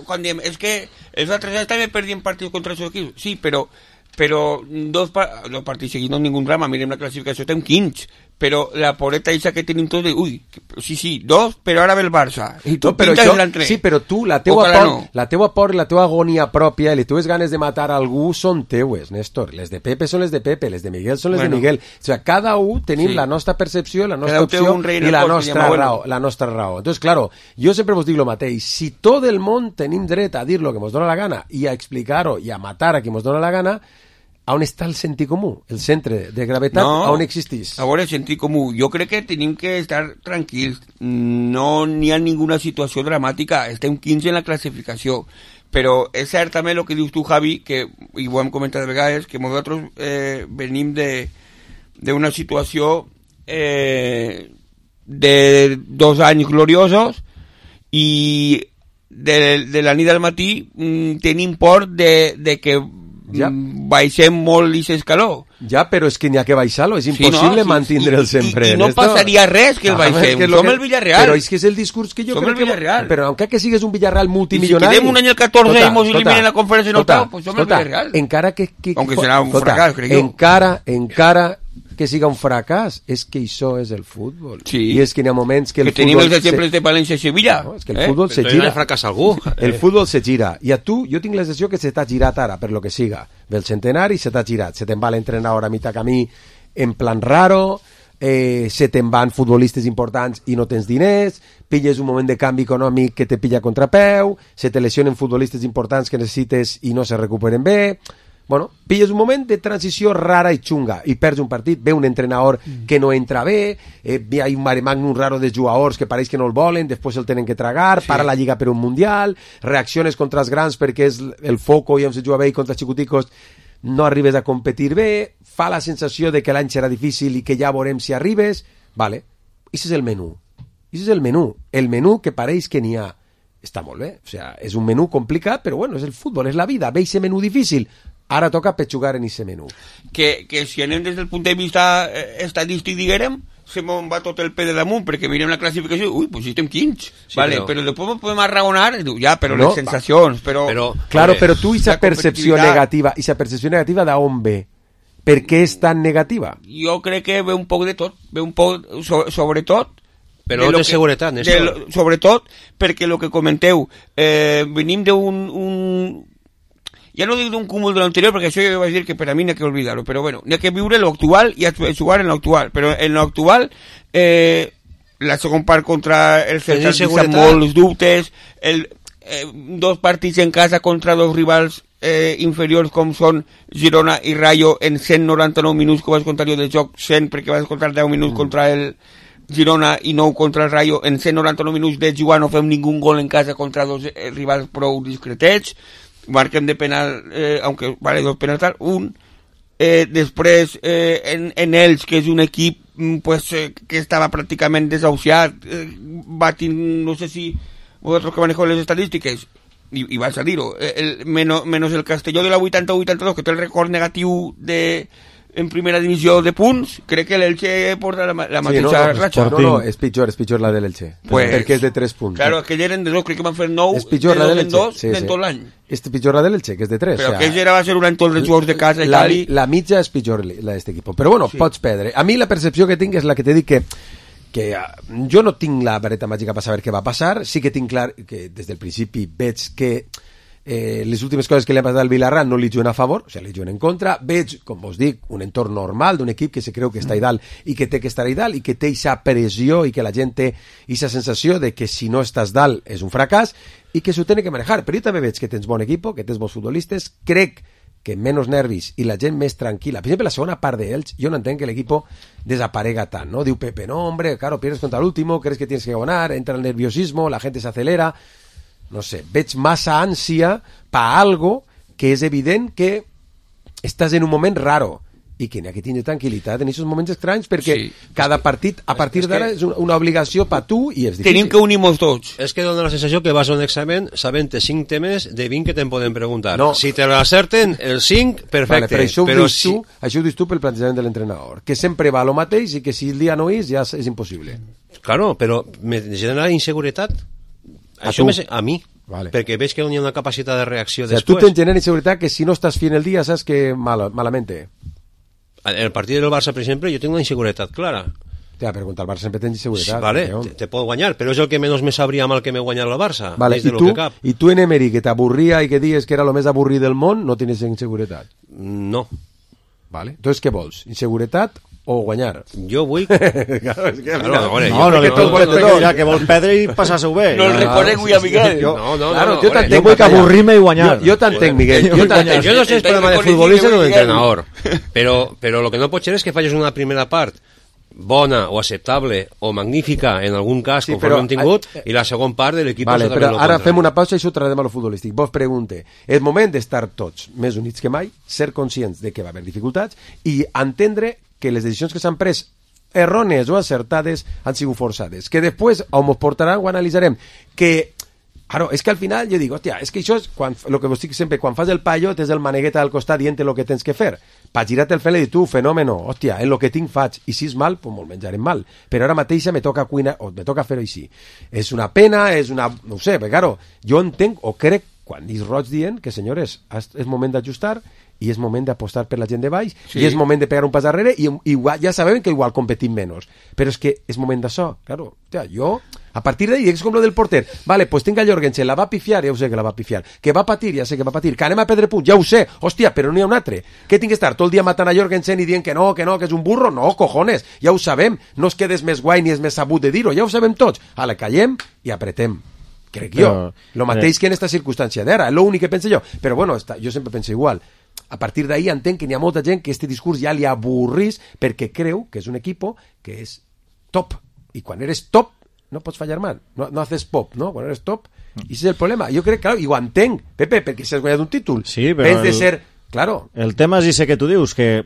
quan diem, és que els altres anys també perdien partits contra els seus equips. Sí, però dos partits seguits no és ningú drama, mirem la classificació, estem 15, però la poreta eixa que tenim tots de, ui, sí, 2, però ara ve el Barça. I tu però pintes això, l'altre. sí, però tu, la teua Ojalà por, no. la teua por i la teua agonia pròpia i les teues ganes de matar a algú són teues, Néstor. Les de Pepe són les de Pepe, les de Miguel són les de Miguel. O sigui, cada un tenim Sí. la nostra percepció, la nostra Cada un té opció un rei en i el la cor, que nostra llama bueno. raó. La nostra raó. Entonces, claro, jo sempre vos dic lo mateix. Si tot el món tenim dret a dir lo que mos dona la gana i a explicar-ho i a matar a qui mos dona la gana, on està el sentit comú? El centre de gravetat on existís? A veure, sentit comú. Jo crec que tenim que estar tranquils. No n'hi ha ninguna situació dramàtica. Estem 15 en la classificació. Però és cert també el que dius tu, Javi, que, i ho hem comentat de vegades, que nosaltres venim d'una situació de 2 anys gloriosos i de la nit al matí tenim por de que baixem molt aquest escaló. Ja, però és que n'hi ha que baixar-lo, és impossible mantindre'l sempre. I no passaria res que el baixem, som el Villarreal. Però és que és el discurs que jo crec que... Però encara que sigues un Villarreal multimilionari... I si quedem un any el 14 i mos eliminen la conferència en octau, pues som el Villarreal. Encara que... Aunque serà un fracàs, crec jo. Encara que siga un fracàs, és que això és el futbol. Sí. I és que n'hi ha moments que el futbol... tenim els exemples de València i Sevilla. No, és que el futbol se gira. Fracàs algú. El futbol se gira. I a tu, jo tinc la sensació que se t'ha girat ara, per lo que siga. Del centenari se t'ha girat. Se te'n va l'entrenador a mitjà camí en plan raro, se te'n van futbolistes importants i no tens diners, pilles un moment de canvi econòmic que te pilla a contrapeu, se te lesionen futbolistes importants que necessites i no se recuperen bé... Bueno, pilles un moment de transició rara i xunga i perds un partit, ve un entrenador que no entra bé, hi ha un mare magnum raro de jugadors que pareix que no el volen, després el tenen que tragar, para la lliga per un mundial, reacciones contra els grans perquè és el foco i on se juga bé i contra els xicoticos no arribes a competir bé, fa la sensació de que l'any serà difícil i que ja veurem si arribes, vale, i és el menú, el menú que pareix que n'hi ha. Està molt bé, o sea, és un menú complicat, però bueno, és el futbol, és la vida, ve ese menú difícil. Ara toca pechugar en ese menú. Que si anem des del punt de vista estadístic, diguérem, se me'n va tot el pe de damunt, perquè mirem la classificació, ui, pues estem 15. Sí, vale, però després podem arraonar, ja, però no, les sensacions, però... Claro, però tu, esa percepció negativa d'on ve? Per què és tan negativa? Jo crec que ve un poc de tot, ve un poc, sobretot, però no té seguretat, Néstor. Sobretot perquè el que comenteu, venim d'un... Ja no dic d'un cúmul de l'anterior, perquè això jo vaig dir que per a mi n'hi ha que oblidar-ho, però bueno, n'hi ha que viure l'actual i jugar en l'actual, però en l'actual la segon part contra el Celta amb molts dubtes, 2 partits en casa contra 2 rivals inferiors com són Girona i Rayo en 199 minuts que vas contar jo del joc, 100 perquè vas contar 10 minuts contra el Girona i 9 contra el Rayo, en 199 minuts de jugar no fem ningú gol en casa contra 2 rivals prou discretets, marquem de penal, aunque vale 2 penals tal, un, després en ells, que és un equip pues, que estava pràcticament desahuciat, no sé si vosaltres que manejeu les estadístiques, i vas a dir-ho, menos el Castelló de la 80-82, que té el record negatiu en primera divisió de punts, crec que l'Elche porta la mateixa ratxa. No, és pitjor la de l'Elche, perquè és de 3 punts. Claro, aquell eren de 2, crec que van fer 9, és pitjor la de l'Elche, en tot l'any. És pitjor la de l'Elche, que és de 3. Però aquell era va ser un any tot dels jugadors de casa i tal. La mitja és pitjor la d'este equip, però bueno, pots perdre. A mi la percepció que tinc és la que t'he dit que jo no tinc la vareta màgica per saber què va passar, sí que tinc clar que des del principi veig que les últimes coses que li han passat al Villarreal no li juguen a favor, o sigui, li juguen en contra. Veig, com vos dic, un entorn normal d'un equip que se creu que està a dalt i que té que estar a dalt i que té aquesta pressió i que la gent té aquesta sensació de que si no estàs dalt és un fracàs i que s'ho té que manejar. Però jo també veig que tens bon equip, que tens bons futbolistes, crec que menys nervis i la gent més tranquil·la. Per exemple, la segona part d'ells, jo no entenc que l'equip desaparega tant, ¿no? Diu Pepe, no, hombre, claro, pierdes contra l'último, crees que tienes que ganar, entra el nerviosismo, la gente se acelera... No sé, veig massa ànsia pa algo que és evident que estàs en un moment raro i que n'hi ha que tindre tranquil·litat en aquests moments estranys perquè cada partit a partir d'ara és una obligació per tu i és difícil. Tenim que unir-nos tots. És que dona la sensació que vas a un examen sabent 5 temes de 20 que te'n poden preguntar. No. Si te l'acerten, el 5, perfecte. Vale, però això ho dius tu pel plantejament de l'entrenador, que sempre va a lo mateix i que si el dia no és ja és impossible. Claro, però me genera inseguretat. Això a mi, vale. Perquè veig que no hi ha una capacitat de reacció després. Tu tens genera inseguretat que si no estàs fent el dia saps que malamente. En el partit del Barça, per exemple, jo tinc una inseguretat clara. Ja, però contra el Barça sempre tens inseguretat. Vale, te pot guanyar, però és el que menys me sabria mal que me guanyar el Barça. Vale, i tu en Emery, que t'avorria i que dius que era el més avorrit del món, no tens inseguretat? No. Vale, entonces què vols? Inseguretat o guanyar? Jo vull... Claro, és que, No li pot ja que vol perdre i passar-se-ho bé. No el reconec avui a Miguel. Claro, jo Jo vull que avorrir-me i guanyar. Jo t'entenc, Miguel. Yo no sé si es problema de futbolista o de Miguel. entrenador, pero lo que no pot ser és que falles una primera part bona o acceptable o magnífica en algun cas, Sí, conforme però- hem tingut, i la segon part de l'equip... Vale, exactament però lo ara contrari. fem una pausa i això ho traslladem a lo futbolístic. Vos pregunte, és moment d'estar tots més units que mai, ser conscients de que va haver dificultats i entendre que les decisions que s'han pres errònies o acertades han sigut forçades. Que després, on ens portaran, ho analitzarem. Que, claro, és que al final jo dic, hòstia, és que això és el que vos dic sempre, quan fas el paio tens el manegueta al costat dient el que tens que fer. Pa girar-te el fel i dir, tu, fenòmeno, hòstia, en lo que tinc faig, i si és mal, pues me'l menjarem mal. Però ara mateixa me toca cuinar, o me toca fer-ho així. És una pena, és una... no ho sé, perquè, claro, jo entenc, o crec, quan és roig dient que, senyores, és moment d'ajustar i és moment d'apostar per la gent de baix Sí. i és moment de pegar un pas darrere i igual, ja sabem que igual competim menys, però és que és moment d'això, claro, hòstia, jo a partir d'ahí, és com lo del porter, vale, pues tinc a Jorgensen, la va pifiar, ja ho sé que la va pifiar, que va patir, ja sé que va patir, que anem a perdre punts, ja ho sé, hòstia, però no hi ha un altre, que tinc que estar tot el dia matant a Jorgensen i dient que no, que és un burro, no, cojones, ja ho sabem, no es quedes més guai ni és més sabut de dir-ho, ja ho sabem tots, ala, callem i apretem. Crec jo, Però, lo mateix que en esta circumstància d'ara, és l'únic que penso jo, però bueno, jo sempre penso igual. A partir d'ahí entenc que n'hi ha molta gent que este discurs ja li avorrís perquè creu que és un equipo que és top, i quan eres top no pots fallar mal, no haces pop, no? Quan eres top, i ese és el problema. Jo crec, claro, i ho entenc, Pepe, perquè si has guanyat un títol, Sí, però vens de ser, claro, El tema és ese que tu dius, que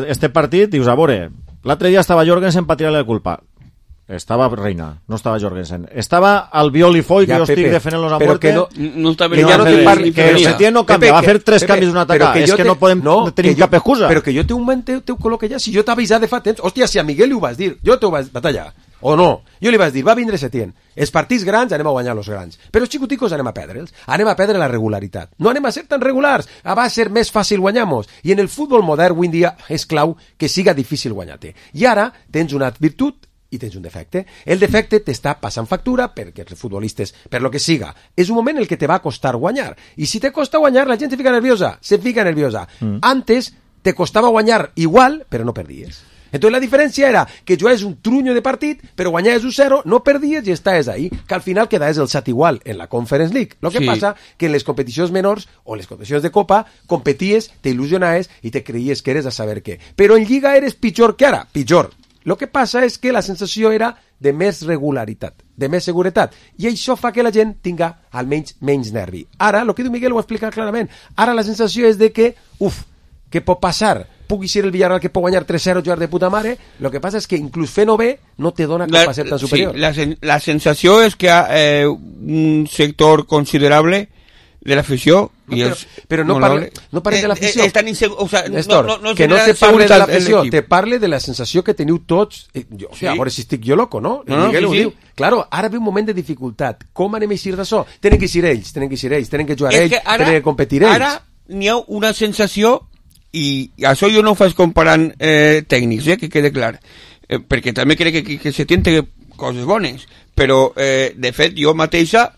este partit, dius, a veure, l'altre dia estava Jorgensen per tirar-li la culpa. Estava Reina, no estava Jorgensen. Estava Albiol i Foy, que Ja, jo estic Pepe, defendent-los a però muerte. que no- No està Que ja no te parli- que el Setién no canvia, va fer tres Pepe, canvis d'un però atac. És jo que no podem tenir cap excusa. Però que jo té un moment teu col·loque ja, si jo t'ha avisat de fa temps, hòstia, si a Miguel li ho vas dir, jo t'ho vaig batallar, o no, jo li vaig dir, va vindre Setién, els partits grans anem a guanyar els grans, però els xicoticos anem a perdre'ls, anem a perdre la regularitat, no anem a ser tan regulars, va ser més fàcil guanyar-nos, i en el futbol modern avui en dia és clau que siga difícil guanyar-te, i ara tens una virtut i tens un defecte. El defecte t'està passant factura perquè els futbolistes, per lo que siga, és un moment en el que te va costar guanyar. I si te costa guanyar, la gent se fica nerviosa. Antes te costava guanyar igual, però no perdies. Entonces la diferència era que jugaves un trunyo de partit, però guanyaves un 0, no perdies i estaves ahí, que al final quedaves el sat igual en la Conference League. Lo que Sí. passa que en les competicions menors o les competicions de Copa competies, te il·lusionaves i te creies que eres a saber què. Però en Lliga eres pitjor que ara, pitjor. Lo que passa és que la sensació era de més regularitat, de més seguretat, i això fa que la gent tinga almenys menys nervi. Ara, el que diu Miguel ho explica clarament, ara la sensació és de que, què pot passar? Pugui ser el Villarreal que pot guanyar 3-0 jugar de puta mare, lo que passa és que inclús fent-ho bé no te dona com a ser tan superior. Sí, la sensació és que un sector considerable de l'afició No, i però no parles de l'afició. Estan insegurs, o sea, Néstor, no que no genera te parle de seguretat l'afició, en l'equip. te parle de la sensació que teniu tots. O sigui, a veure si estic jo loco, no? No, Miguel sí, ho sí. diu. Claro, ara ve un moment de dificultat. Com anem a eixir d'això? Tenen que eixir ells, tenen que jugar És ells, que ara, tenen que competir ells. Ara n'hi ha una sensació, i això jo no ho faig comparant tècnics, que quede clar, perquè també crec que se tiene coses bones, però de fet jo mateixa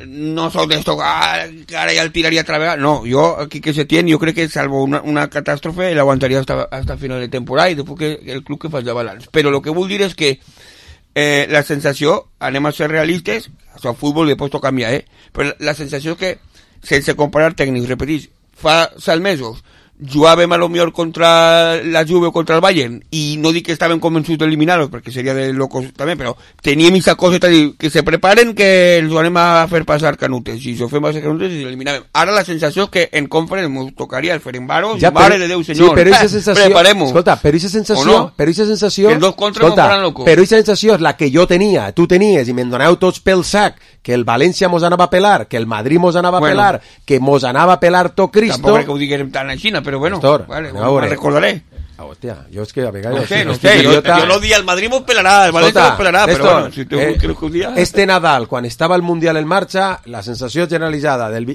no soc d'esto que ara ja el tiraria a través, no, jo aquí que se tiene, jo crec que salvo una catàstrofe l'aguantaria hasta final de temporada i després que el club que faci de balanç, però el que vull dir és que la sensació, anem a ser realistes, això al futbol després tot canvia, però la sensació que sense comparar tècnics, repetís, fa 7 mesos jugàvem a lo millor contra la Juve o contra el Bayern i no dic que estàvem convençuts d'eliminar-los perquè seria de locos també, però teníem aquesta cosa de dir que se preparen que els anem a fer passar canutes i si ho fem passar canutes i eliminàvem. Ara la sensació és que en conference ens tocaria el Ferencváros i mare de Déu senyor, sí, però aquesta sensació, preparem-ho. escolta, però aquesta sensació, que els dos contra no faran loco. Però aquesta sensació és la que jo tenia, tu tenies i me'n doneu tots pel sac, que el València mos anava a pelar, que el Madrid mos anava a pelar, que mos anava a pelar tot Cristo. Tampoc és que ho diguem tan així, però bueno, Néstor, vale, a veure. me'n recordaré. Hòstia, jo és que a vegades... No sé, jo no dic el Madrid mos pelarà, el València mos pelarà, però bueno, si tu creus que un dia... Este Nadal, quan estava el Mundial en marxa, la sensació generalitzada del...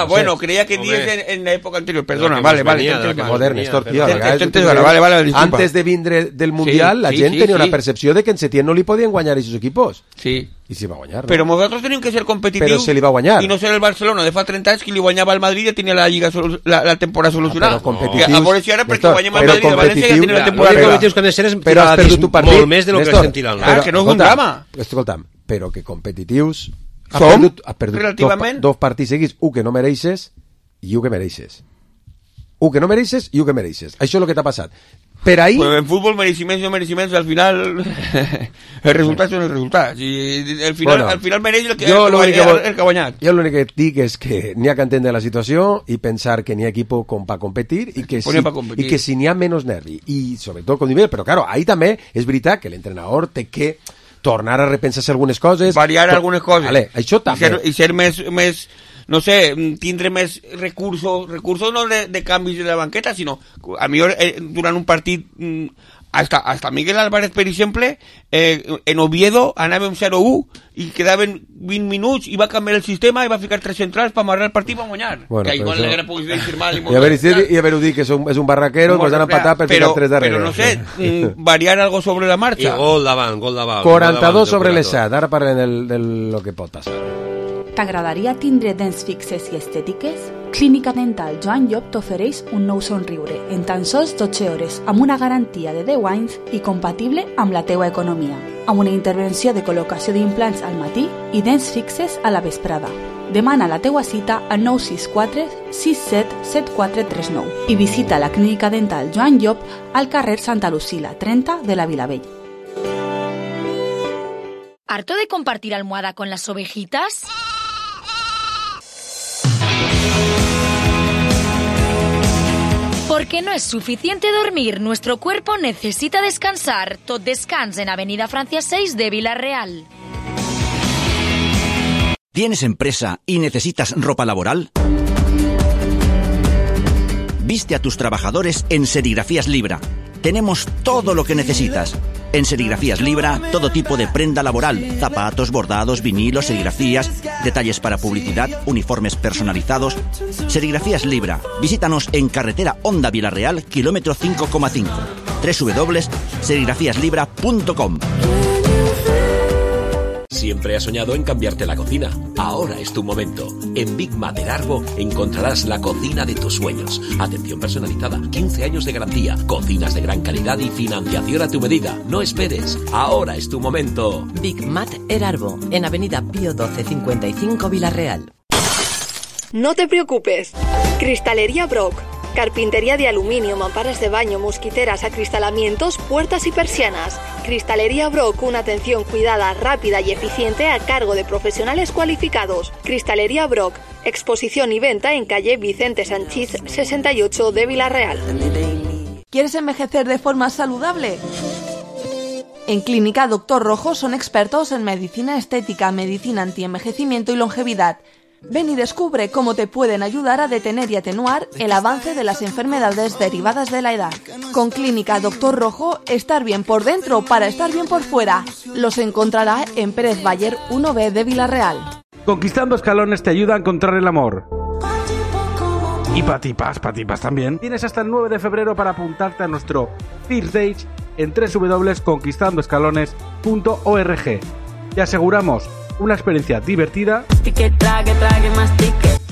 bueno, creia que dies en l'època anterior, perdona, vale. Joder, Néstor, tío, vale, disculpa. antes de vindre del Mundial, la gent tenia una percepció de que en Setién no li podien guanyar aquests equipos. Sí. I s'hi va guanyar, no? Però nosaltres tenim que ser competitius. Però se li va guanyar. I no ser el Barcelona de fa 30 anys que li guanyava al Madrid i ja tenia la Lliga la temporada solucionada. Però competitius... A veure si ara perquè Néstor, guanyem al Madrid i el València ja tenia la temporada L'únic arreglada. competitius que han de ser és Però has perdut tu partit. molt més de lo que Néstor, estem tirant. Clar, que no és un drama. Escolta'm, però que competitius... Som, has perdut relativament. dos partits seguits, un que no mereixes i un que mereixes. Un que no mereixes i un que mereixes. Això és el que t'ha passat. Per ahí... Pues en fútbol, merecimientos y no merecimientos, al final el resultat són els resultats. I al final mereix el que ha guanyat. Jo l'únic que dic és que n'hi ha que entendre la situació i pensar que n'hi ha equip com per competir i que si n'hi ha menys nervi i sobretot con nivel, però claro, ahí també és veritat que l'entrenador té que tornar a repensar-se algunes coses, variar algunes coses, vale, això també. I ser més no sé, tindre més recursos no de canvis de la banqueta, sinó a millor durant un partit hasta Miguel Álvarez, per exemple, en Oviedo anàvem 0-1 i quedaven 20 minuts i va canviar el sistema i va ficar 3 centrals per amarrar el partit i va guanyar. Bueno, que igual l'haguera pogut dir mal i haver-ho dit que és un barraquero, ens han empatat per ficar 3 darrere. Però no sé, variar algo sobre la marxa. I gol davant. 42 sobre l'7, ara parlem del lo que pot passar. T'agradaria tindre dents fixes i estètiques? Clínica Dental Joan Llop t'ofereix un nou somriure en tan sols 12 hores amb una garantia de 10 anys i compatible amb la teua economia, amb una intervenció de col·locació d'implants al matí i dents fixes a la vesprada. Demana la teua cita al 964 67 7439 i visita la Clínica Dental Joan Llop al carrer Santa Lucila 30 de la Vilavell. ¿Harto de compartir almohada con las ovejitas? Porque no es suficiente dormir, nuestro cuerpo necesita descansar. Tot Descans en Avenida Francia 6 de Villarreal. ¿Tienes empresa y necesitas ropa laboral? Viste a tus trabajadores en Serigrafías Libra. Tenemos todo lo que necesitas. En Serigrafías Libra, todo tipo de prenda laboral, zapatos, bordados, vinilos, serigrafías, detalles para publicidad, uniformes personalizados. Serigrafías Libra. Visítanos en carretera Honda Villarreal, kilómetro 5,5. www.serigrafíaslibra.com. Siempre has soñado en cambiarte la cocina. Ahora es tu momento. En Big Mat Erarbo encontrarás la cocina de tus sueños. Atención personalizada, 15 años de garantía, cocinas de gran calidad y financiación a tu medida. No esperes. Ahora es tu momento. Big Mat Erarbo, en Avenida Pío 12 55 Villarreal. No te preocupes. Cristalería Brock. Carpintería de aluminio, mamparas de baño, mosquiteras, acristalamientos, puertas y persianas. Cristalería Brock, una atención cuidada, rápida y eficiente a cargo de profesionales cualificados. Cristalería Brock, exposición y venta en calle Vicente Sanchís 68 de Villarreal. ¿Quieres envejecer de forma saludable? En Clínica Doctor Rojo son expertos en medicina estética, medicina antienvejecimiento y longevidad. Ven y descubre cómo te pueden ayudar a detener y atenuar el avance de las enfermedades derivadas de la edad. Con Clínica Doctor Rojo, estar bien por dentro para estar bien por fuera. Los encontrará en Pérez Bayer 1B de Villarreal. Conquistando Escalones te ayuda a encontrar el amor. Y Patipas también. Tienes hasta el 9 de febrero para apuntarte a nuestro First Date en www.conquistandoescalones.org. Te aseguramos una experiencia divertida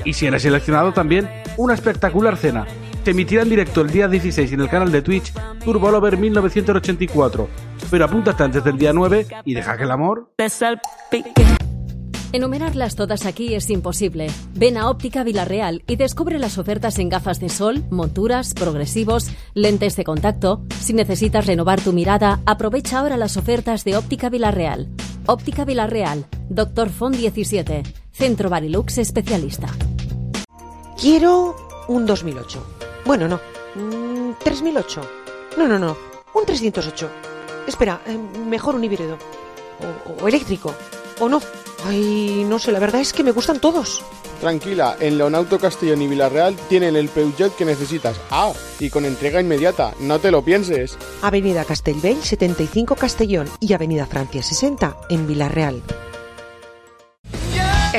y si eres seleccionado también una espectacular cena. Se emitirá en directo el día 16 en el canal de Twitch Turbo Lover 1984, pero apúntate antes del día 9 y deja que el amor... Enumerarlas todas aquí es imposible. Ven a Óptica Villarreal y descubre las ofertas en gafas de sol, monturas, progresivos, lentes de contacto. Si necesitas renovar tu mirada, aprovecha ahora las ofertas de Óptica Villarreal. Óptica Villarreal, Dr. Font 17, Centro Barilux especialista. Quiero un 2008. Bueno, no. 3008. No. Un 308. Espera, mejor un híbrido. O eléctrico. O no. Ay, no sé, la verdad es que me gustan todos. Tranquila, en Leonauto Castellón y Villarreal tienen el Peugeot que necesitas. Ah, y con entrega inmediata, no te lo pienses. Avenida Castellbell 75 Castellón y Avenida Francia 60 en Villarreal.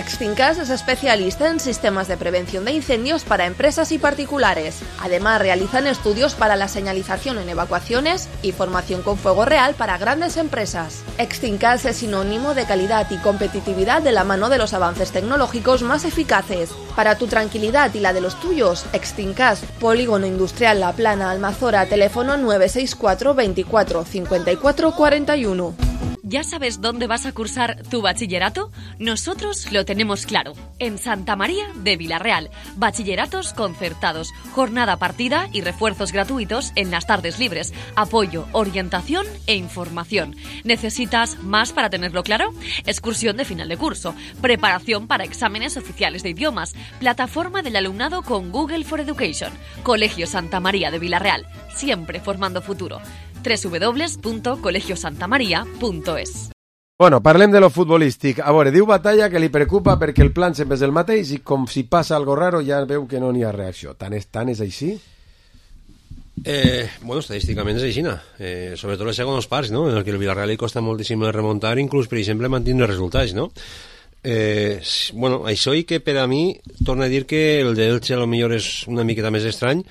Extincas es especialista en sistemas de prevención de incendios para empresas y particulares. Además, realizan estudios para la señalización en evacuaciones y formación con fuego real para grandes empresas. Extincas es sinónimo de calidad y competitividad de la mano de los avances tecnológicos más eficaces. Para tu tranquilidad y la de los tuyos, Extincas, Polígono Industrial La Plana, Almazora, teléfono 964 24 54 41. ¿Ya sabes dónde vas a cursar tu bachillerato? Nosotros lo tenemos claro. En Santa María de Vilarreal. Bachilleratos concertados, jornada partida y refuerzos gratuitos en las tardes libres. Apoyo, orientación e información. ¿Necesitas más para tenerlo claro? Excursión de final de curso. Preparación para exámenes oficiales de idiomas. Plataforma del alumnado con Google for Education. Colegio Santa María de Vilarreal. Siempre formando futuro. www.colegiosantamaria.es. Bueno, parlem de lo futbolístic. A veure, diu Batalla que li preocupa perquè el plan sempre és el mateix i com si passa algo raro ja veu que no n'hi ha reacció. Tant és així? Bueno, estadísticament és així, sobretot les segones parts, no? En el que el Villarreal li costa moltíssim remuntar, inclús, per exemple, mantindre resultats, no? Bueno, això i que per a mi, torno a dir que el d'Elche potser és una miqueta més estrany,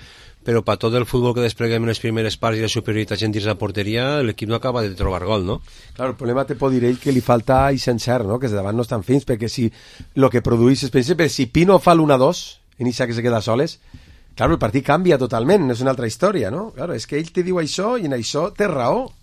però per tot el futbol que despleguem en les primeres parts i la superioritat en dins la porteria, l'equip no acaba de trobar gol, no? Claro, el problema te pot dir ell que li falta i sencer, no? Que de davant no estan fins, perquè si el que produís, per exemple, si Pino fa l'1-2, en Isa que se queda soles, claro, el partit canvia totalment, és una altra història, no? Claro, és que ell te diu això i en això té raó.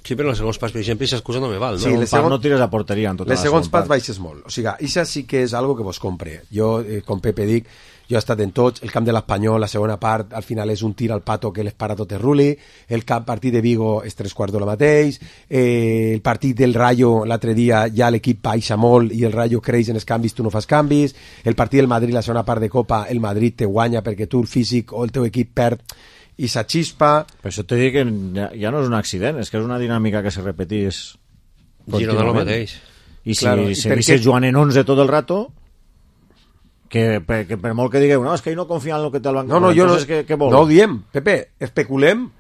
Sí, però en els segons parts, per exemple, aquesta excusa no me val, no? Sí, no tires a porteria en tota les segons parts baixes molt. O sigui, això sí que és algo que vos compre. Jo, com Pepe dic, jo he estat en tots, el camp de l'Espanyol, la segona part, al final és un tir al pato que l'espara tot el ruli, el partit de Vigo és 3/4 de la mateix, el partit del Rayo l'altre dia ja l'equip baixa molt i el Rayo creix en els canvis, tu no fas canvis, el partit del Madrid, la segona part de Copa, el Madrid te guanya perquè tu el físic o el teu equip perd i s'axispa. Per això te dic que ja no és un accident, és que és una dinàmica que se repetís Girona el mateix. I si seguissis jugant en 11 tot el rato, que per molt que digueu, no, és que ell no confia en el que té el banc. No, jo no ho diem, Pepe, especulem,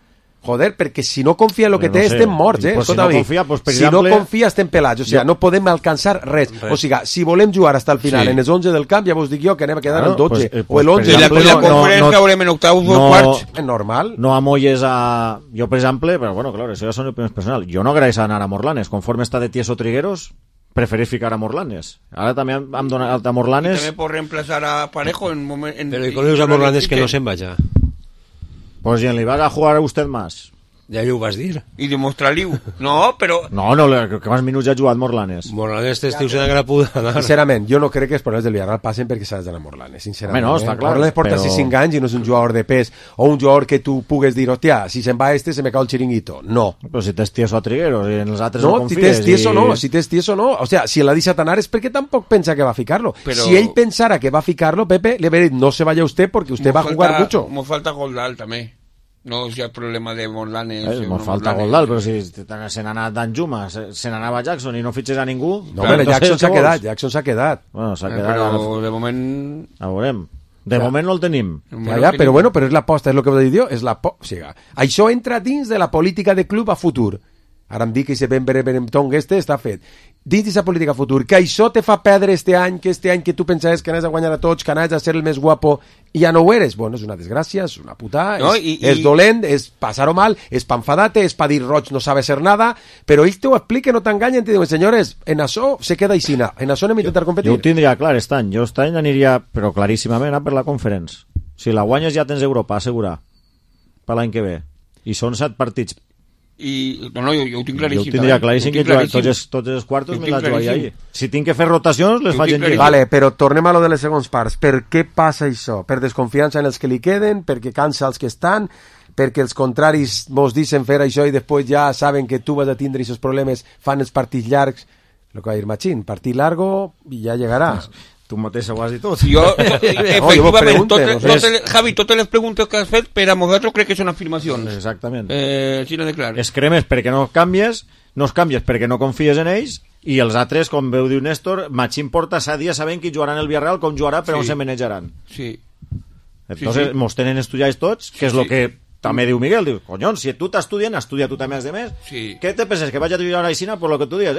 joder, perquè si no confia en el que té estem morts, pues si no confia, pues per si exemple, no confia estem pelats, o sigui, no podem alcançar res. O sigui, si volem jugar hasta el final en els 11 del camp, ja vos dic jo que anem a quedar en 12 o el 11. I la conferència haurem en octaus o quarts. És normal. No amolles a... Jo, per exemple, però bueno, clar, això ja són opinions personals, jo no agraeix anar a Morlanes, conforme està de Tieso Trigueros, preferís ficar a Morlanes. Ara també hem donat a Morlanes... I també pot reemplazar a Parejo en moment... Però i con a Morlanes que no se'n vaya. Pues en li va a jugar a usted más. Ja ho vas dir. I demostrar-li-ho. No, però... No, que quants minuts ja ha jugat Morlanes. Morlanes t'estiu sent que la puta anar. Sincerament, jo no crec que els problemes del Villarreal passen perquè s'ha d'anar a Morlanes, sincerament. No, està clar. Morlanes porta 5 anys i no és un jugador de pes o un jugador que tu pugues dir, hòstia, si se'n va se me cau el xiringuito. No. Però si tens Tieso a Trigueros i en els altres no confies... No, si tens Tieso no. O sea, si l'ha deixat anar és perquè tampoc pensa que va ficar-lo. Però... Si ell pensara que va ficar-lo, Pepe, le veré, no se vaya usted porque usted va a jugar mucho. Mo falta Goldal també. No, si hi ha problema de Morlanes... Mos falta Goldal, però si se n'ha anat Danjuma, se n'anava Jackson i no fitxes a ningú... No, però Jackson s'ha quedat. Bueno, s'ha quedat... Però de moment... A veurem. De moment no el tenim. Ja, però bueno, però és l'aposta, és el que vos dic jo, és l'aposta. O sigui, això entra dins de la política de club a futur. Ara em dic que ese Benberemtong està fet. Dins d'aquesta política futur, que això te fa perdre este any que tu pensaves que anaves a guanyar a tots, que anaves a ser el més guapo i ja no ho eres. Bueno, és una desgràcia, és una putada, no, és dolent, és passar-ho mal, és pa enfadar-te, és pa dir Roig no sabe ser nada, però ells t'ho expliquen, no t'enganyen, te diuen, senyores, en això se queda aixina, en això anem a intentar competir. Jo ho tindria clar aquest any, jo aquest any aniria, però claríssimament, per la Conference. Si la guanyes ja tens Europa, assegurar, per l'any que ve. I són 7 partits. No, jo ho tinc claríssim. Jo ho tindria claríssim que tots els quartos me la jugaria ahí. Si tinc que fer rotacions, les faig en lliga. Vale, però tornem a lo de les segons parts. Per què passa això? Per desconfiança en els que li queden? Perquè cansa els que estan? Perquè els contraris vos dicen fer això i després ja saben que tu vas a tindre aquests problemes, fan els partits llargs, el que va dir Machín, partit largo i ja llegarà. Tu mateix ho has dit tot. Jo, efectivament, Javi, totes les preguntes que has fet per a nosaltres crec que són afirmacions. Exactament. Sí, no de clar. Es cremes perquè no canvies perquè no confies en ells, i els altres, com veu dir Néstor, Machín porta 7 dies sabent qui jugaran el Villarreal, com jugarà, però on se manejaran. Sí. Entonces, mos tenen estudiats tots, que és el que també diu Miguel, diu, conyons, si tu t'estudien, estudia tu també els demés. Sí. Què te penses, que vaig a jugar a la Isina por lo que tu dius,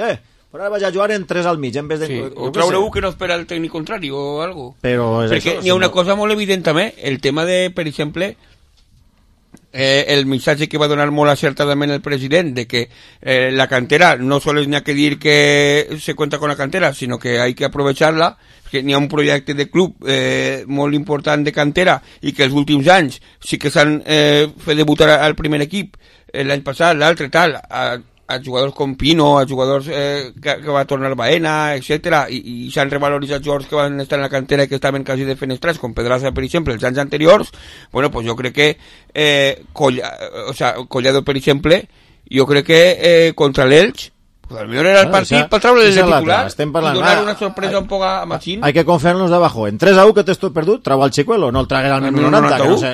Però ara vaig a jugar en 3 al mig, en vez de... Sí, o traure un que no espera el tècnic contrari o algo. Però és perquè això, n'hi ha una cosa molt evident també, el tema de, per exemple, el missatge que va donar molt acertadament el president de que la cantera no sols n'hi ha que dir que se cuenta con la cantera, sinó que hay que aprovecharla, que n'hi ha un projecte de club molt important de cantera i que els últims anys sí que s'han fet debutar al primer equip, l'any passat, l'altre, tal, a jugadors com Pino, a jugadors que va tornar Baena, etcètera, i s'han revaloritzat jugadors que van estar en la cantera i que estaven quasi defenestrats, com Pedraza, per exemple, els anys anteriors. Bueno, pues jo crec que Collado, per exemple, jo crec que contra l'Elx, pues potser era el partit per treure el titular i donar una sorpresa un poc a Machín. Hay que confiarnos de abajo. En 3-1 que t'esto perdut, trau al Chicuelo, no el tragues al minut 90. Que no sé,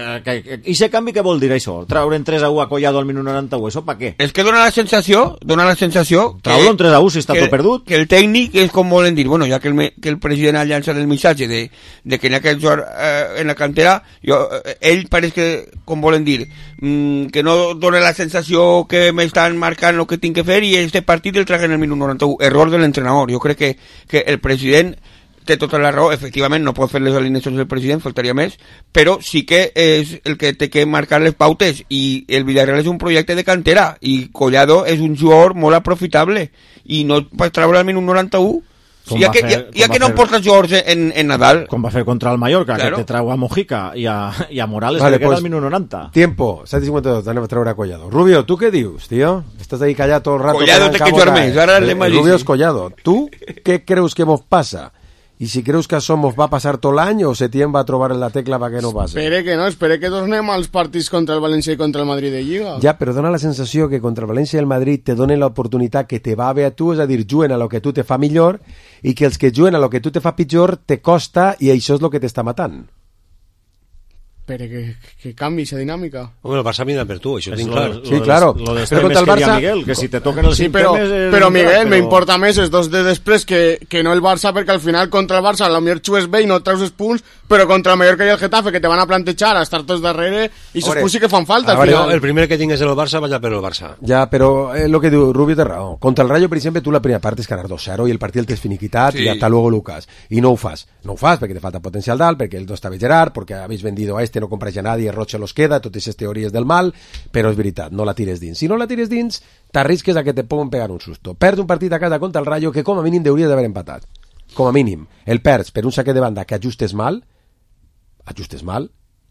I ese canvi què vol dir això? Traure en 3-1 a Collado al minut 91, això pa què? És que dona la sensació trau-lo en 3-1 si està tot perdut. Que el tècnic és com volen dir, bueno, ja que el president ha llançat el missatge de que n'hi ha que jugar en la cantera, ell pareix que, com volen dir, que no dona la sensació que m'estan marcant el que tinc que fer i este partit el traguen el minut 91. Error de l'entrenador. Jo crec que el president té tota la raó. Efectivament, no pot fer les alineacions del president, faltaria més, però sí que és el que té que marcar les pautes, i el Villarreal és un projecte de cantera, i Collado és un jugador molt aprofitable, i no pots treure el minut 91. Ja que no porta jugadors en Nadal. Com va fer contra el Mallorca, claro, que te trau a Mojica i a Morales, vale, que queda al minut 90. Tiempo, 7:52, anem a treure a Collado. Rubio, ¿tú qué dius, tío? Estás ahí callado todo el rato. Collado té que jugar més, ara l'hem dit. Rubio és Collado. ¿Tú qué creus que mos pasa? I si creus que això mos va passar tot l'any o Setién va trobar en la tecla perquè no passi? Espere que tornem als partits contra el València i contra el Madrid de Lliga. Ja, però dona la sensació que contra el València i el Madrid te donen l'oportunitat que te va bé a tu, és a dir, juguen a lo que tu te fa millor, i que els que juguen a lo que tu te fa pitjor te costa, i això és lo que t'està matant. Pero que cambie esa dinámica. Bueno, el Barça mira per tu, això tinc clar. Sí, claro. Pero contra el Barça... Miguel, que si te toquen el sí, pero Miguel, me importa més els dos de després que no el Barça, perquè al final contra el Barça la millor xues bé i no treus els punts, però contra el Mallorca i el Getafe, que te van a plantejar a estar tots darrere, i els punts sí que fan falta al final. El primer que tingues en el Barça, vaig a per el Barça. Ja, però lo que diu Rubio té raó. Contra el Rayo, per exemple, tu la primera part és ganar 2-0 i el partit el tens finiquitat sí. Y hasta luego Lucas. I no ho fas. No ho fas perquè te falta potencial dalt, perquè el no estava Gerard, perquè habéis vendido a este, no compras ja nadie, Roche los queda, totes aquestes teories del mal, però és veritat, no la tires dins. Si no la tires dins, t'arrisques a que te puguen pegar un susto. Perd un partit a casa contra el Rayo que com a mínim hauria d'haver empatat. Com a mínim. El perds per un saquet de banda que ajustes mal,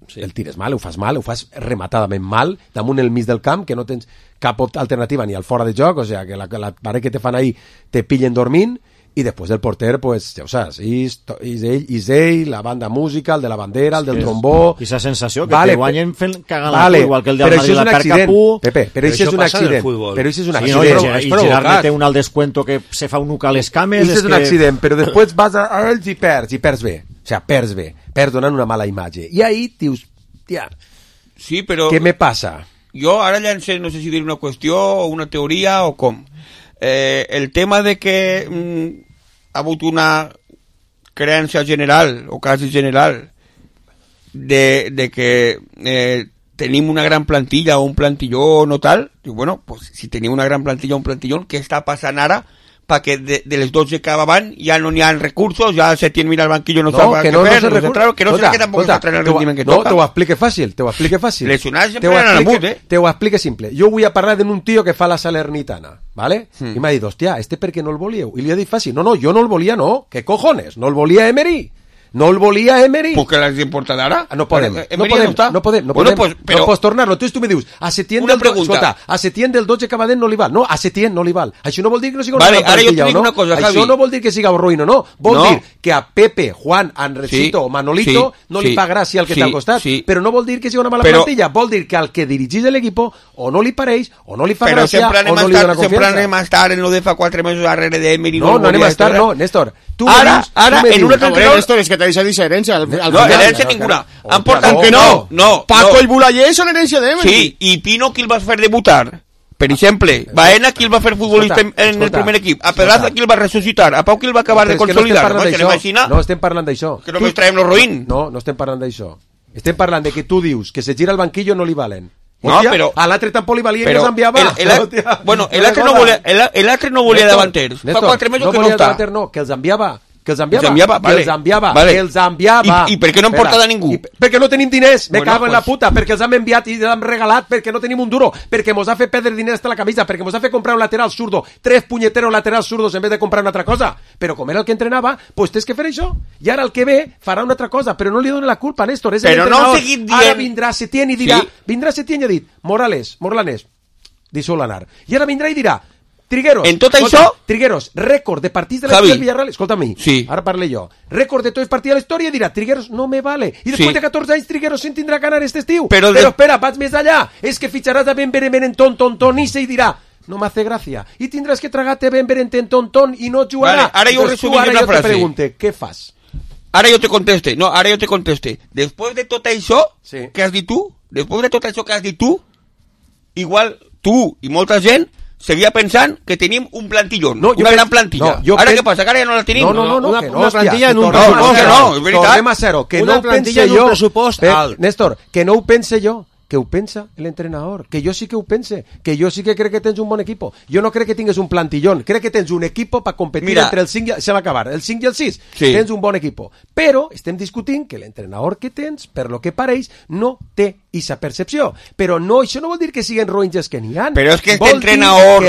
sí. El tires mal, ho fas rematadament mal, damunt el mig del camp, que no tens cap alternativa ni al fora de joc, o sea, que la paret que te fan ahí te pillen dormint, i després del porter, pues, ja ho saps, és ell, la banda música, el de la bandera, el del trombó... I esa sensació, que te guanyen fent cagar la cua, igual que el de Madrid la perca pu... Pepe, però això és un accident. Però això és un accident. I Gerard té un alt descuento que se fa un nuca a les cames... Això és un accident, però després vas a ells i perds bé. O sigui, perds bé. Perds donant una mala imatge. I ahí dius, tia, sí, però... què me passa? Jo ara llancé, no sé si dir una qüestió o una teoria o com. El tema de que... ha hagut una creença general o quasi general de que tenim una gran plantilla o un plantillón o tal. Diu, bueno, pues si tenim una gran plantilla o un plantillón, què està passant ara perquè de les 12 que van ja no n'hi ha recursos, ja Setién mira al banquillo no sabe què fer, que no sé que tampoc està traient el rendiment que toca. No, te ho explique fàcil. Lesionats sempre eren al but, Te ho explique simple. Jo vull a parlar d'un tio que fa la Salernitana, ¿vale? I m'ha dit, hòstia, per què no el volíeu? I li ha dit fàcil, no, jo no el volia, no. ¿Qué cojones? No el volia Emery. No el volia Emery. ¿Por qué les importa d'ara? No podem. No pots tornar-lo. Tu me dius, a Setién del 12 que va dent no li val. No, a Setién no li val. Això no vol dir que no sigui una plantilla, no? Això no vol dir que siga ruïno, no. Vol dir que a Pepe, Juan, Andresito o Manolito no li fa gràcia el que està al costat. Però no vol dir que sigui una mala plantilla. Vol dir que al que dirigís l'equip o no li pareix, o no li fa gràcia, o no li dona confiança. Sempre anem a estar en lo de fa 4 mesos darrere d'Emery. No anem a estar, no, Néstor. Ara, en un altre entrenador... Néstor, és que tenéis diferència. No, herència ninguna. Han portat que no. Paco i Bulaller són herència d'Emery. Sí, i Pino qui el va fer debutar? Per exemple, Baena qui el va fer futbolista en el primer equip, a Pedraza qui el va ressuscitar, a Pau qui el va acabar de consolidar. No estem parlant d'això. Que només traiem lo ruïn. No estem parlant d'això. Estem parlant de que tu dius que se gira al banquillo no li valen. No, Hòstia, però... a l'altre tan polivalent que s'enviava. Bueno, l'altre no volia davanters. Fa 4 mesos que no està. No, que els enviava. Que els enviava. I per què no hem portat a ningú? Perquè no tenim diners, me cago en la puta, perquè els hem enviat i els hem regalat, perquè no tenim un duro, perquè mos ha fet perdre diners hasta la camisa, perquè mos ha fet comprar un lateral zurdo, 3 puñeteros laterals zurdos en vez de comprar una altra cosa. Però com era el que entrenava, pues tens que fer això. I ara el que ve farà una altra cosa, però no li doni la culpa a Néstor, és l'entrenador. Ara vindrà Setién i dirà, vindrà Setién i ha dit, Morlanes, deixeu-lo anar. I ara vindrà i dirà, Trigueros, en tot això... Trigueros, rècord de partits de la història del Villarreal, escolta a mi, ara parle jo, rècord de tots els partits de la història, dirà, Trigueros no me vale, i després de 14 anys Trigueros se'n tindrà que anar aquest estiu, però espera, vaig més allà, és que fitxaràs a Ben Berenten ton, i se dirà, no m'hace gràcia, i tindràs que tragar-te Ben Berenten ton, i no jugarà. Ara jo resumir una frase. Te pregunte, què fas? Ara jo te conteste, després de tot això que has dit tu, igual tu i molta gent seguia pensant que tenim un plantillón, una gran plantilla. Ara què passa? Que ara ja no la tenim? No, una plantilla en un pressupost. És veritat. Tornem a ser-ho, que no ho pense jo. Néstor, que no ho pense jo, que ho pensa l'entrenador, que jo sí que ho pense, que jo sí que crec que tens un bon equipo. Jo no crec que tingues un plantillón, crec que tens un equipo per competir entre el 5 i el 6. Tens un bon equipo. Però estem discutint que l'entrenador que tens, per lo que pareix, no té aquesta percepció. Però no, això no vol dir que siguen roïnges que n'hi ha. Però és que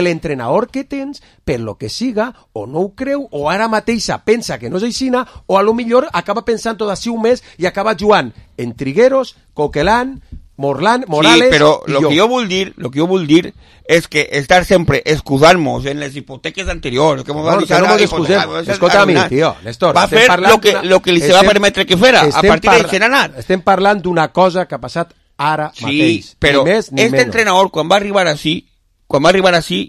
l'entrenador que tens, per lo que siga, o no ho creu, o ara mateixa pensa que no és aixina, o a lo millor acaba pensant tot així un mes i acaba jugant en Trigueros, Coquelin, Morales, pero lo que yo vull dir es que estar siempre excusarnos en las hipotecas anteriores, que escolta a mi, tío, Néstor, va a fer lo que li se va permetre que fuera a partir de Xeranat. Estem parlant d'una cosa que ha passat ara mateix. Sí, però entrenador quan va arribar así,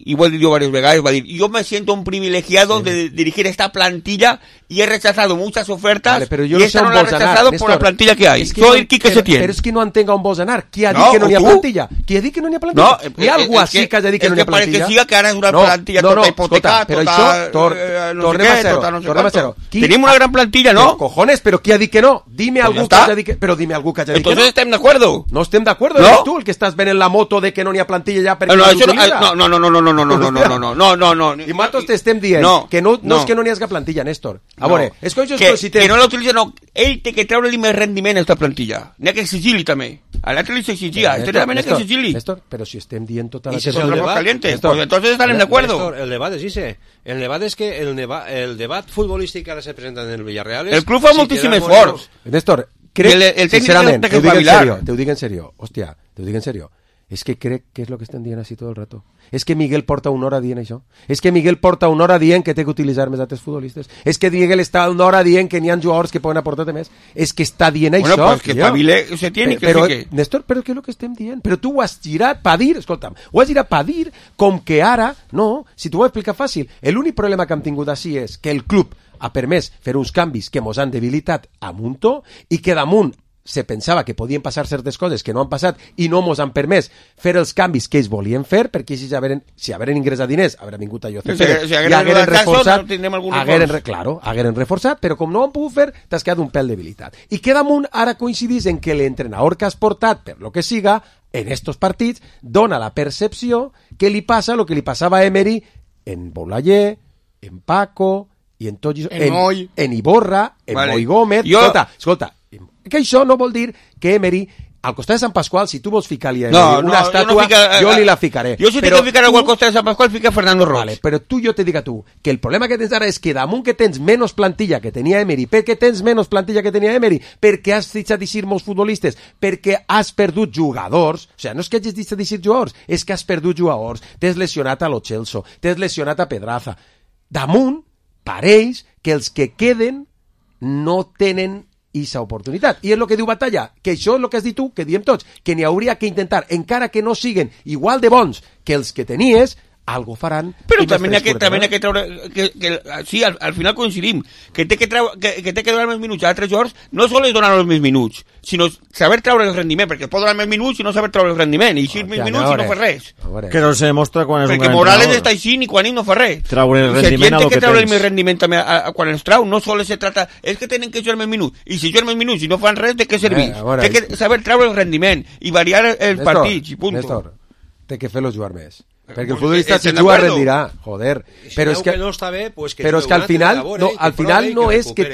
y vuelvo a decir varias veces, va a decir, yo me siento un privilegiado de dirigir esta plantilla y he rechazado muchas ofertas, pero yo y esta no la he rechazado por la plantilla que hay. Soy Quique Setién. Pero es que no entenga on vols anar. Qui ha dit que no n'hi ha plantilla? Qui ha dit que no n'hi ha plantilla? No, hi ha algú així que hagi dit que no n'hi ha plantilla? És que siga que ara és una plantilla tota hipotecada, però això, tornem a ser-ho. Tenim una gran plantilla, ¿no? Cojones, però qui ha dit que no? Dime algú que hagi dit que... Però dime algú que hagi dit que no. Entonces estem d'acuerdo. No estem d'acuerdo, eres tu el que estàs venent la moto de que no n'hi ha plantilla ja perquè no l'utilitza. No. I nosaltres t'estem dient que no és que no n'hi hagi plantilla, Néstor. A veure, és que que no l'utilitza, no. Ell té que treure-li més rendiment a aquesta plantilla. N'hi ha que exigir-li també. A l'altre li s'exigia, a este també n'hi ha que exigir-li. Néstor, però si estem dient tota la... I si és el debat caliente, pues entonces estarem d'acuerdo. El debat és ese. El debat és que el debat futbolístic que ara se presenta en el Villarreal és... El club fa moltíssim esforç. Néstor, crec, sincerament, te ho dic en serio, hòstia, te ho dic en serio. És que crec que és el que estem dient així tot el rato. És que Miguel porta una hora dient això. És que Miguel porta una hora dient que té que utilitzar més altres futbolistes. És que Miguel està una hora dient que n'hi ha jugadors que poden aportar més. És que està dient això. Bueno, pues que espavile se tiene que fique. Néstor, però què és el que estem dient? Però tu ho has girat per dir, escolta'm, ho has girat per dir com que ara, no, si t'ho ho explicar fàcil, l'únic problema que hem tingut així és que el club ha permès fer uns canvis que mos han debilitat a muntó i que damunt se pensava que podien passar certes coses que no han passat i no mos han permès fer els canvis que ells volien fer, perquè si haveren ingressat diners, haurien vingut a José Pérez i hagueren reforçat, hagueren reforçat, però com no ho han pogut fer, t'has quedat un pèl debilitat. I que damunt ara coincidís en que l'entrenador que has portat, per lo que siga, en estos partits, dona la percepció que li passa el que li passava a Emery en Boulaye, en Paco, i en tot això, en Iborra, en Moi Gómez. Escolta, que això no vol dir que Emery, al costat de Sant Pasqual, si tu vols ficar-li una estàtua, jo li la ficaré. Jo si t'he de ficar al costat de Sant Pasqual, fica Fernando Roig. Vale, però jo te dic a tu que el problema que tens ara és que damunt que tens menys plantilla que tenia Emery, perquè tens menys plantilla que tenia Emery, perquè has deixat d'eixir molts futbolistes, perquè has perdut jugadors, o sigui, no és que hagis deixat d'eixir jugadors, és que has perdut jugadors, t'has lesionat a Lo Celso, t'has lesionat a Pedraza. Damunt, pareix que els que queden no tenen aquesta oportunitat. I és el que diu Batalla, que això és el que has dit tu, que diem tots, que n'hi hauria que intentar, encara que no siguen igual de bons que els que tenies, algo faran. Però també n'hi ha que treure... Sí, al final coincidim, que té que donar més minuts a altres jugadors, no sols donar els més minuts, sinó saber treure el rendiment, perquè pot donar més minuts i no saber treure el rendiment, i així més minuts i no fa res. Que no se demostra quan és un gran perquè Morales està així i quan ell no fa res. Treure el rendiment a lo que tens. Que treure el més rendiment també quan els trau, no sols se trata... És que tenen que jugar més minuts, i si juguen més minuts i no fan res, de què serveix? Té que saber treure el rendiment i variar els partits, i punt. Néstor, té que fer-lo jugar més. Perquè el futbolista si juga rendirà, joder. Però és que no està bé, pues que però és que al final no és que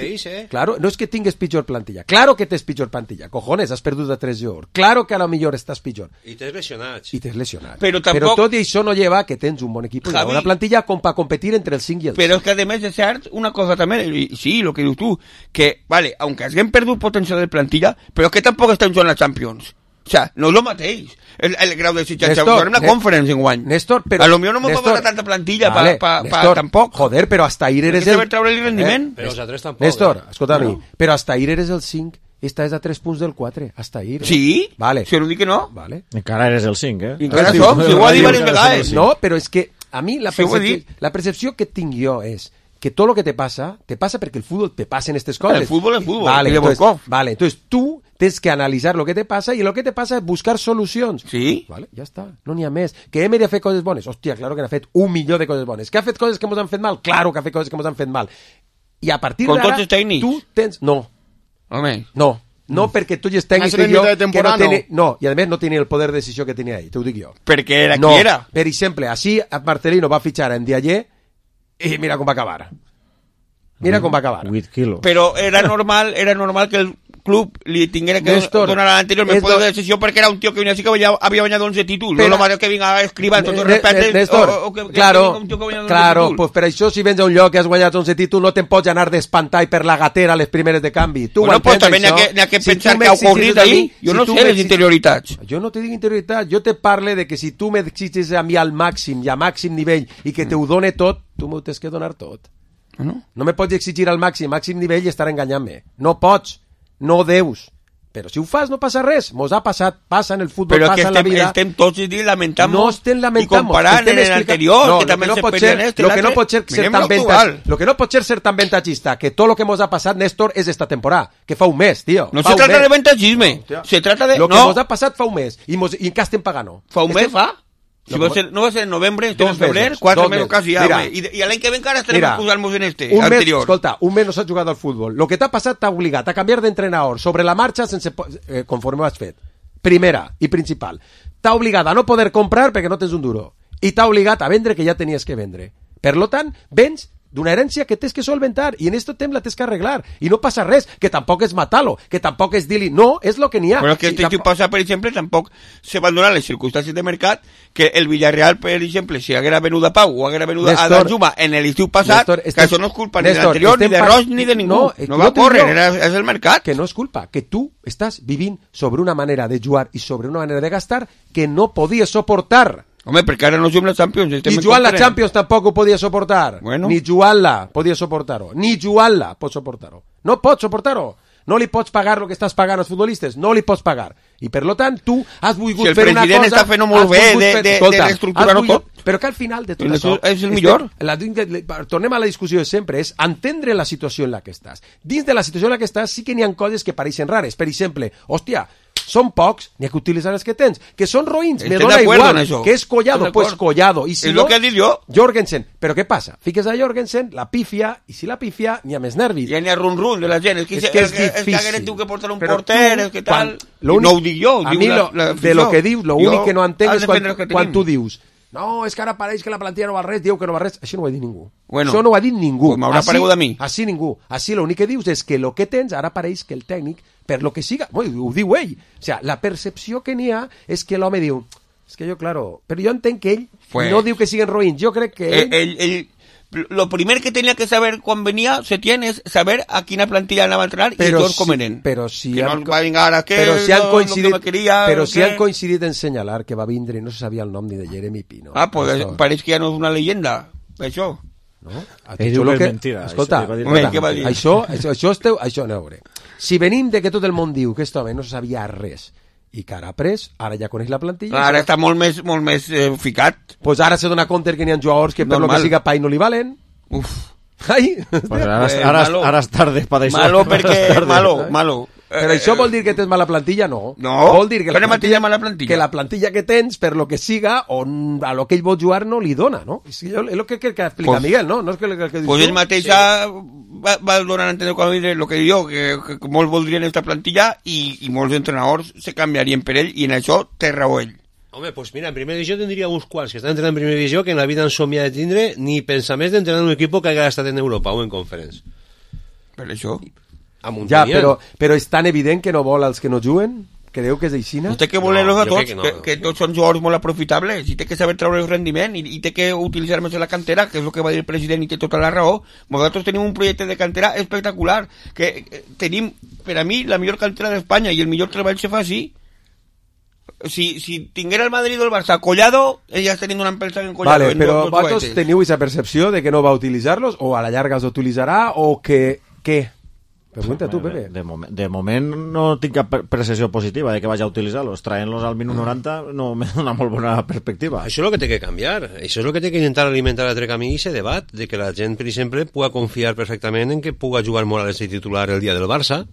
claro, no és que tingues pitjor plantilla. Claro que tens pitjor plantilla. Cojones, has perdut a 3 jugadors. Claro que a lo millor estàs pitjor. I t'has lesionat. Però tot i això no lleva que tens un bon equip i una bona plantilla com per competir entre els 5 i els 6. Però és que a més és cert una cosa també, sí, lo que dius tu, que, vale, aunque haguem perdut potencial de plantilla, però que tampoc estem jugant a Champions. O sea, no és el mateix el grau d'exigència. Jugarem la Conference en guany. Néstor, però... A lo millor no m'ho pagar tanta plantilla tampoc. Joder, però hasta ahir eres el... treure el rendiment. Però els altres tampoc. Néstor, escolta-me, però hasta ahir eres el 5, esta és a 3 punts del 4, hasta ahir. Sí? Vale. Si no dic que no. Vale. Encara eres el 5, eh? Encara som, si ho ha dit diverses vegades. No, però és que a mi la percepció que tinc jo és que todo lo que te pasa porque el fútbol te pasa en estas cosas. El fútbol es fútbol. Vale, entonces tú tienes que analitzar lo que te passa i lo que te passa és buscar solucions. Sí. Vale, ja està, no n'hi ha més. Que Emery ha fet coses bones? Hòstia, claro que n'ha fet 1 milió de coses bones. Que ha fet coses que ens han fet mal? Claro que ha fet coses que ens han fet mal. I a partir d'ara... Con tots els tècnics? Tu tens... No. Home. No, perquè tu ets tècnic i jo... No, i a més no tenia el poder de decisió que tenia ell, t'ho dic jo. Perquè era qui era. Per exemple, així Marcelino va fitxar en Dialler i mira com va acabar. Mira com va acabar. 8 quilos. Però era normal que el club li tinguera que donar a l'anterior més poder de decisió perquè era un tio que venia així que havia guanyat 11 títols. No lo mateix que vinga a escrivar amb tot el respecte. Néstor, claro, pues per això si vens a un lloc que has guanyat 11 títols no te'n pots anar d'espantar per la gatera les primeres de canvi. Tu bueno, pues també n'hi ha que pensar que ha ocorrit ahí. Jo no sé les interioritats. Jo no te dic interioritats, jo te parle de que si tu m'exigis a mi al màxim i a màxim nivell i que te ho done tot, tu m'ho tens que donar tot. No me pots exigir al màxim nivell i estar enganyant-me. No pots, no deus. Però si ho fas no passa res. Mos ha passat, passa en el futbol, passa en la vida. Però que estem tots i lamentant no estem lamentant i comparant en l'anterior, que també s'experia en este. Lo que no pot ser tan ventajista, que tot lo que mos ha passat, Néstor, és esta temporada, que fa un mes, tio. No se trata de ventajisme, se trata de... Lo que mos ha passat fa un mes, i en què estem pagant? Fa un mes fa? Si no va ser en novembre, estem en febrer, 4 mesos quasi ja, i l'any que ven encara estarem posant-nos en este, anterior. Escolta, un mes no s'ha jugat al futbol. Lo que t'ha passat t'ha obligat a canviar d'entrenador sobre la marxa conforme ho has fet. Primera i principal. T'ha obligat a no poder comprar perquè no tens un duro. I t'ha obligat a vendre que ja tenies que vendre. Per lo tant, vens d'una herència que tens que solventar i en aquest temps la tens que arreglar i no passa res, que tampoc és matar-lo, que tampoc és dir-li, no, és lo que n'hi ha. Però que si passa, per exemple, tampoc se van donar les circumstàncies de mercat que el Villarreal, per exemple, si haguera venut a Pau o haguera venut a Danjuma en l'estiu passat, que això no és culpa ni de l'anterior, ni de Roig, ni de ningú. No va córrer, és el mercat. Que no és culpa, que tu estàs vivint sobre una manera de jugar i sobre una manera de gastar que no podies soportar. Home, perquè ara no juguem la Champions. Ni jugant la Champions tampoc ho podia soportar. Bueno. Ni jugant-la podia soportar-ho. Ni jugant-la pots soportar-ho. No pots soportar-ho. No li pots pagar el que estàs pagant als futbolistes. No li pots pagar. I per lo tant, tu has volgut fer una cosa... Si el president està fent molt bé de reestructurar-ho tot... Però que al final de tot això... És el millor. Tornem a la discussió de sempre. És entendre la situació en la que estàs. Dins de la situació en la que estàs sí que n'hi ha coses que pareixen rares. Per exemple, hòstia... Són pocs, n'hi ha que utilitzar els que tens. Que són roïns, me dona igual. Que és Collado, pues Collado. I si no, que he dit jo. Jorgensen. Però què passa? Fiques a Jorgensen, la pifia, i si la pifia, n'hi ha més nervis. Ja n'hi ha run-run de la gent. És que és difícil. És que tu que portar un porter, és que tal... No ho dic jo, a mi de lo que dius, l'únic que no entenc és quan tu dius no, és que ara pareix que la plantilla no val res, diu que no val res. Això no ho ha dit ningú. Bueno, això no ho ha dit ningú. Pues m'haurà paregut a mi. Així ningú. Així l'únic que dius és que el que tens ara pareix que el tècnic, per lo que siga, ho diu ell. O sea, la percepció que n'hi ha és que l'home diu, és que jo, claro, però jo entenc que ell no diu que siguen roïns. Jo crec que ell lo primer que tenía que saber cuando venía Setién es saber a quina plantilla anava a entrenar i tots com eren. Però si que no va vingar a que però si han coincidit, no quería, però si han coincidit en senyalar que va vindre i no se sabia el nom ni de Jeremy Pino. Ah, pues això pareix que ja no és una leyenda, això. No? Ell diu que és mentira. Escolta, això no veure. Si venim de que tot el món diu que aquest home no sabia res i que ara ha pres, ara ja coneix la plantilla. Ara està molt més ficat. Pues ara se dona compte que n'hi ha jugadors que per lo que siga pai no li valen. Uf. Ai, pues ara és tarde per això. Malo perquè... Malo. Però això vol dir que tens mala plantilla? No. Vol dir que mala plantilla. Que la plantilla que tens, per lo que siga, a lo que ell vol jugar no li dona, no? És el que explica Miguel, no? No és que dius pues ell mateix va donar a entendre quan diré el que diu jo, que molts voldrien esta plantilla i molts entrenadors se canviarien per ell i en això té raó ell. Home, pues mira, en primera divisió tindria uns quants que estan entrenant en primera divisió que en la vida han somiat de tindre ni pensar més d'entrenar en un equip que hagi estat en Europa o en Conference. Per això... Ja, però és tan evident que no vol els que no juguen? Creu que és aixina? Té que voler-los a tots, que tots són jugadors molt aprofitables i té que saber treure el rendiment i té que utilitzar més la cantera, que és el que va dir el president i té tota la raó. Nosaltres tenim un projecte de cantera espectacular, que tenim, per a mi, la millor cantera d'Espanya i el millor treball se fa així. Si tinguera el Madrid o el Barça Collado, ellas teniendo una empresa en Collado. Vale, però vosaltres teniu aquesta percepció de que no va utilitzar-los o a la llarga els utilitzarà o que... Què? Pregunta tu, Pepe. De moment no tinc cap percepció positiva de que vagi a utilitzar-los. Traient-los al minut 90 no me dona molt bona perspectiva. Això és el que té que canviar. Això és el que té que intentar alimentar l'altre camí i ese debat de que la gent, per exemple, pugui confiar perfectament en que pugui jugar Morales de titular el dia del Barça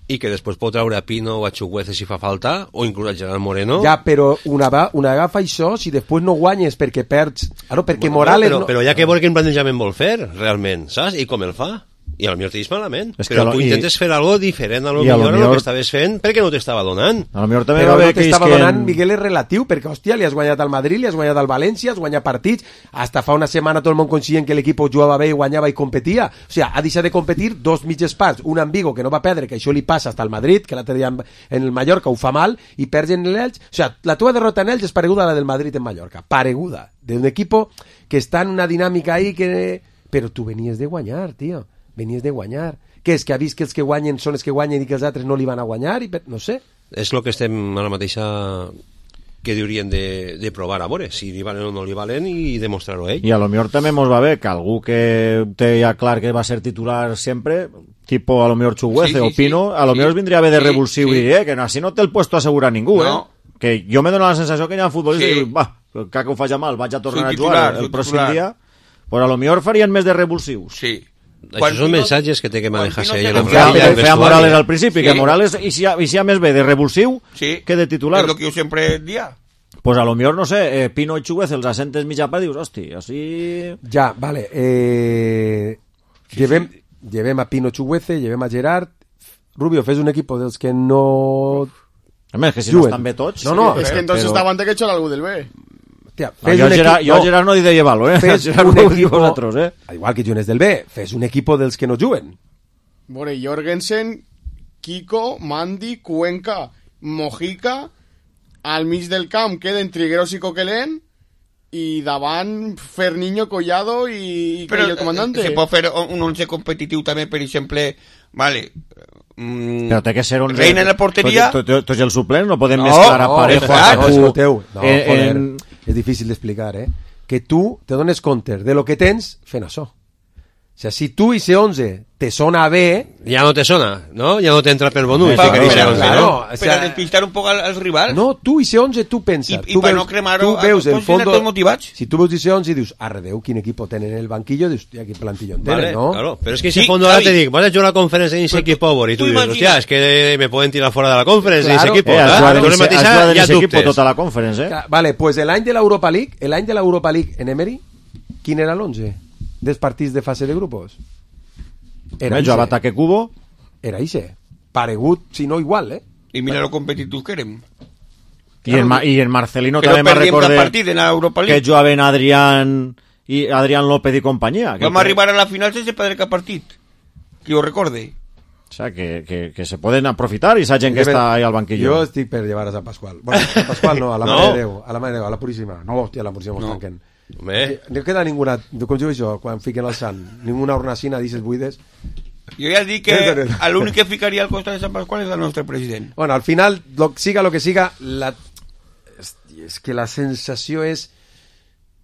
i que després pot treure a Pino o a Chukwueze si fa falta o inclús a Gerard Moreno. Ja, però una agafa això si després no guanyes perquè perds... perquè Morales... Però ja que vol quin plantejament vol fer, realment, saps? I com el fa? I a lo millor te dis malament, però tu intentes fer algo diferent a lo millor a lo que estaves fent perquè no t'estava donant. A lo millor també però no t'estava donant, Miguel, és relatiu, perquè, hòstia, li has guanyat al Madrid, li has guanyat al València, has guanyat partits, hasta fa una setmana tot el món conscient que l'equip jugava bé i guanyava i competia. O sigui, ha deixat de competir dos mitges parts, un en Vigo, que no va perdre, que això li passa hasta al Madrid, que l'altre dia en el Mallorca ho fa mal, i perds en l'Elx. O sigui, la teva derrota en Elx és pareguda a la del Madrid en Mallorca, pareguda, d'un equip que està en una dinàmica ahí que... Però tu venies de guanyar, tio, venies de guanyar. Què és, que ha vist que els que guanyen són els que guanyen i que els altres no li van a guanyar? No sé. És el que estem a la mateixa que haurien de provar a veure si li valen o no li valen i demostrar-ho ell. I a lo millor també mos va bé que algú que té ja clar que va ser titular sempre, tipo a lo millor Chukwueze o Pino, a lo millor vindria bé de revulsiu i dir que així no té el puesto assegurat ningú, que jo me dono la sensació que hi ha futbolistes que diuen, que ho faig mal, vaig a tornar a jugar el pròxim dia, però a lo millor farien més de revulsius. Sí. Això són mensatges que té que manejar-se ell. Feia Morales al principi, que Morales hi ha més bé de revulsiu que de titular. És el que jo sempre dia. Pues a lo millor, no sé, Pino i Chukwueze els assentes mitja part i dius, hosti, així... Ja, vale. Llevem a Pino Chukwueze, llevem a Gerard. Rubio, fes un equip dels que no... A més, que si no estan bé tots... No, és que entonces estava antes que echar algú del B. Tía, jo a Gerard no he de llevar-lo, fes un equipo vosaltres, igual que jugues del B, fes un equipo dels que no juguen. Bueno, Jorgensen, Kiko, Mandy, Cuenca, Mojica, al mig del camp queden Trigueros i Coquelin i davant Ferniño, Collado i el comandante. Se pot fer un 11 competitiu també, per exemple, vale... Però té que ser 11... Reina en la porteria... Tots els suplents no podem mesclar a Parejo. És difícil d'explicar, que tu te dones compte de lo que tens fent això. O sea, si tu i ese 11 te sona bé... Ja no te sona, no? Ja no t'entra per bonú. Per a despistar un poc als rivals. No, tu i ese 11 tu pensa. I per no cremar-ho, el fondo, motivats. si tu veus ese 11 i dius, arredeu, quin equip tenen en el banquillo, dius, hòstia, quin plantillón tenen, ¿no? Claro, pero es que ese fondo ahora te dic, vas a jugar a la conferència en ese equipo, y tú dices, hostia, es que me pueden tirar fuera de la conferència en ese equipo. Ja dubtes. Tota la conferència, Vale, pues l'any de l'Europa League en Emery, quin era l'11 dels partits de fase de grupos? Era jo ataque Cubo. Era ixe. Paregut, si no igual, I mira lo competitiu que érem. I en Marcelino també me recordé que jugaven Adrián López i companyia. Vam arribar a la final sense perdre cap partit. Que jo recorde. O sea, que se poden aprofitar i sa gent que està ahí al banquillo. Jo estic per llevar a Sant Pasqual. Bueno, a Sant Pasqual no, a la Mare de Déu, a la Puríssima. No, hòstia, a la Puríssima mos tanquen. No queda ninguna, com jo això, quan fiquen el sant, ninguna hornacina d'ixes buides. Jo ja dic que l'únic que ficaria al costat de Sant Pasqual és el nostre president. Bueno, al final, siga lo que siga, és que la sensació és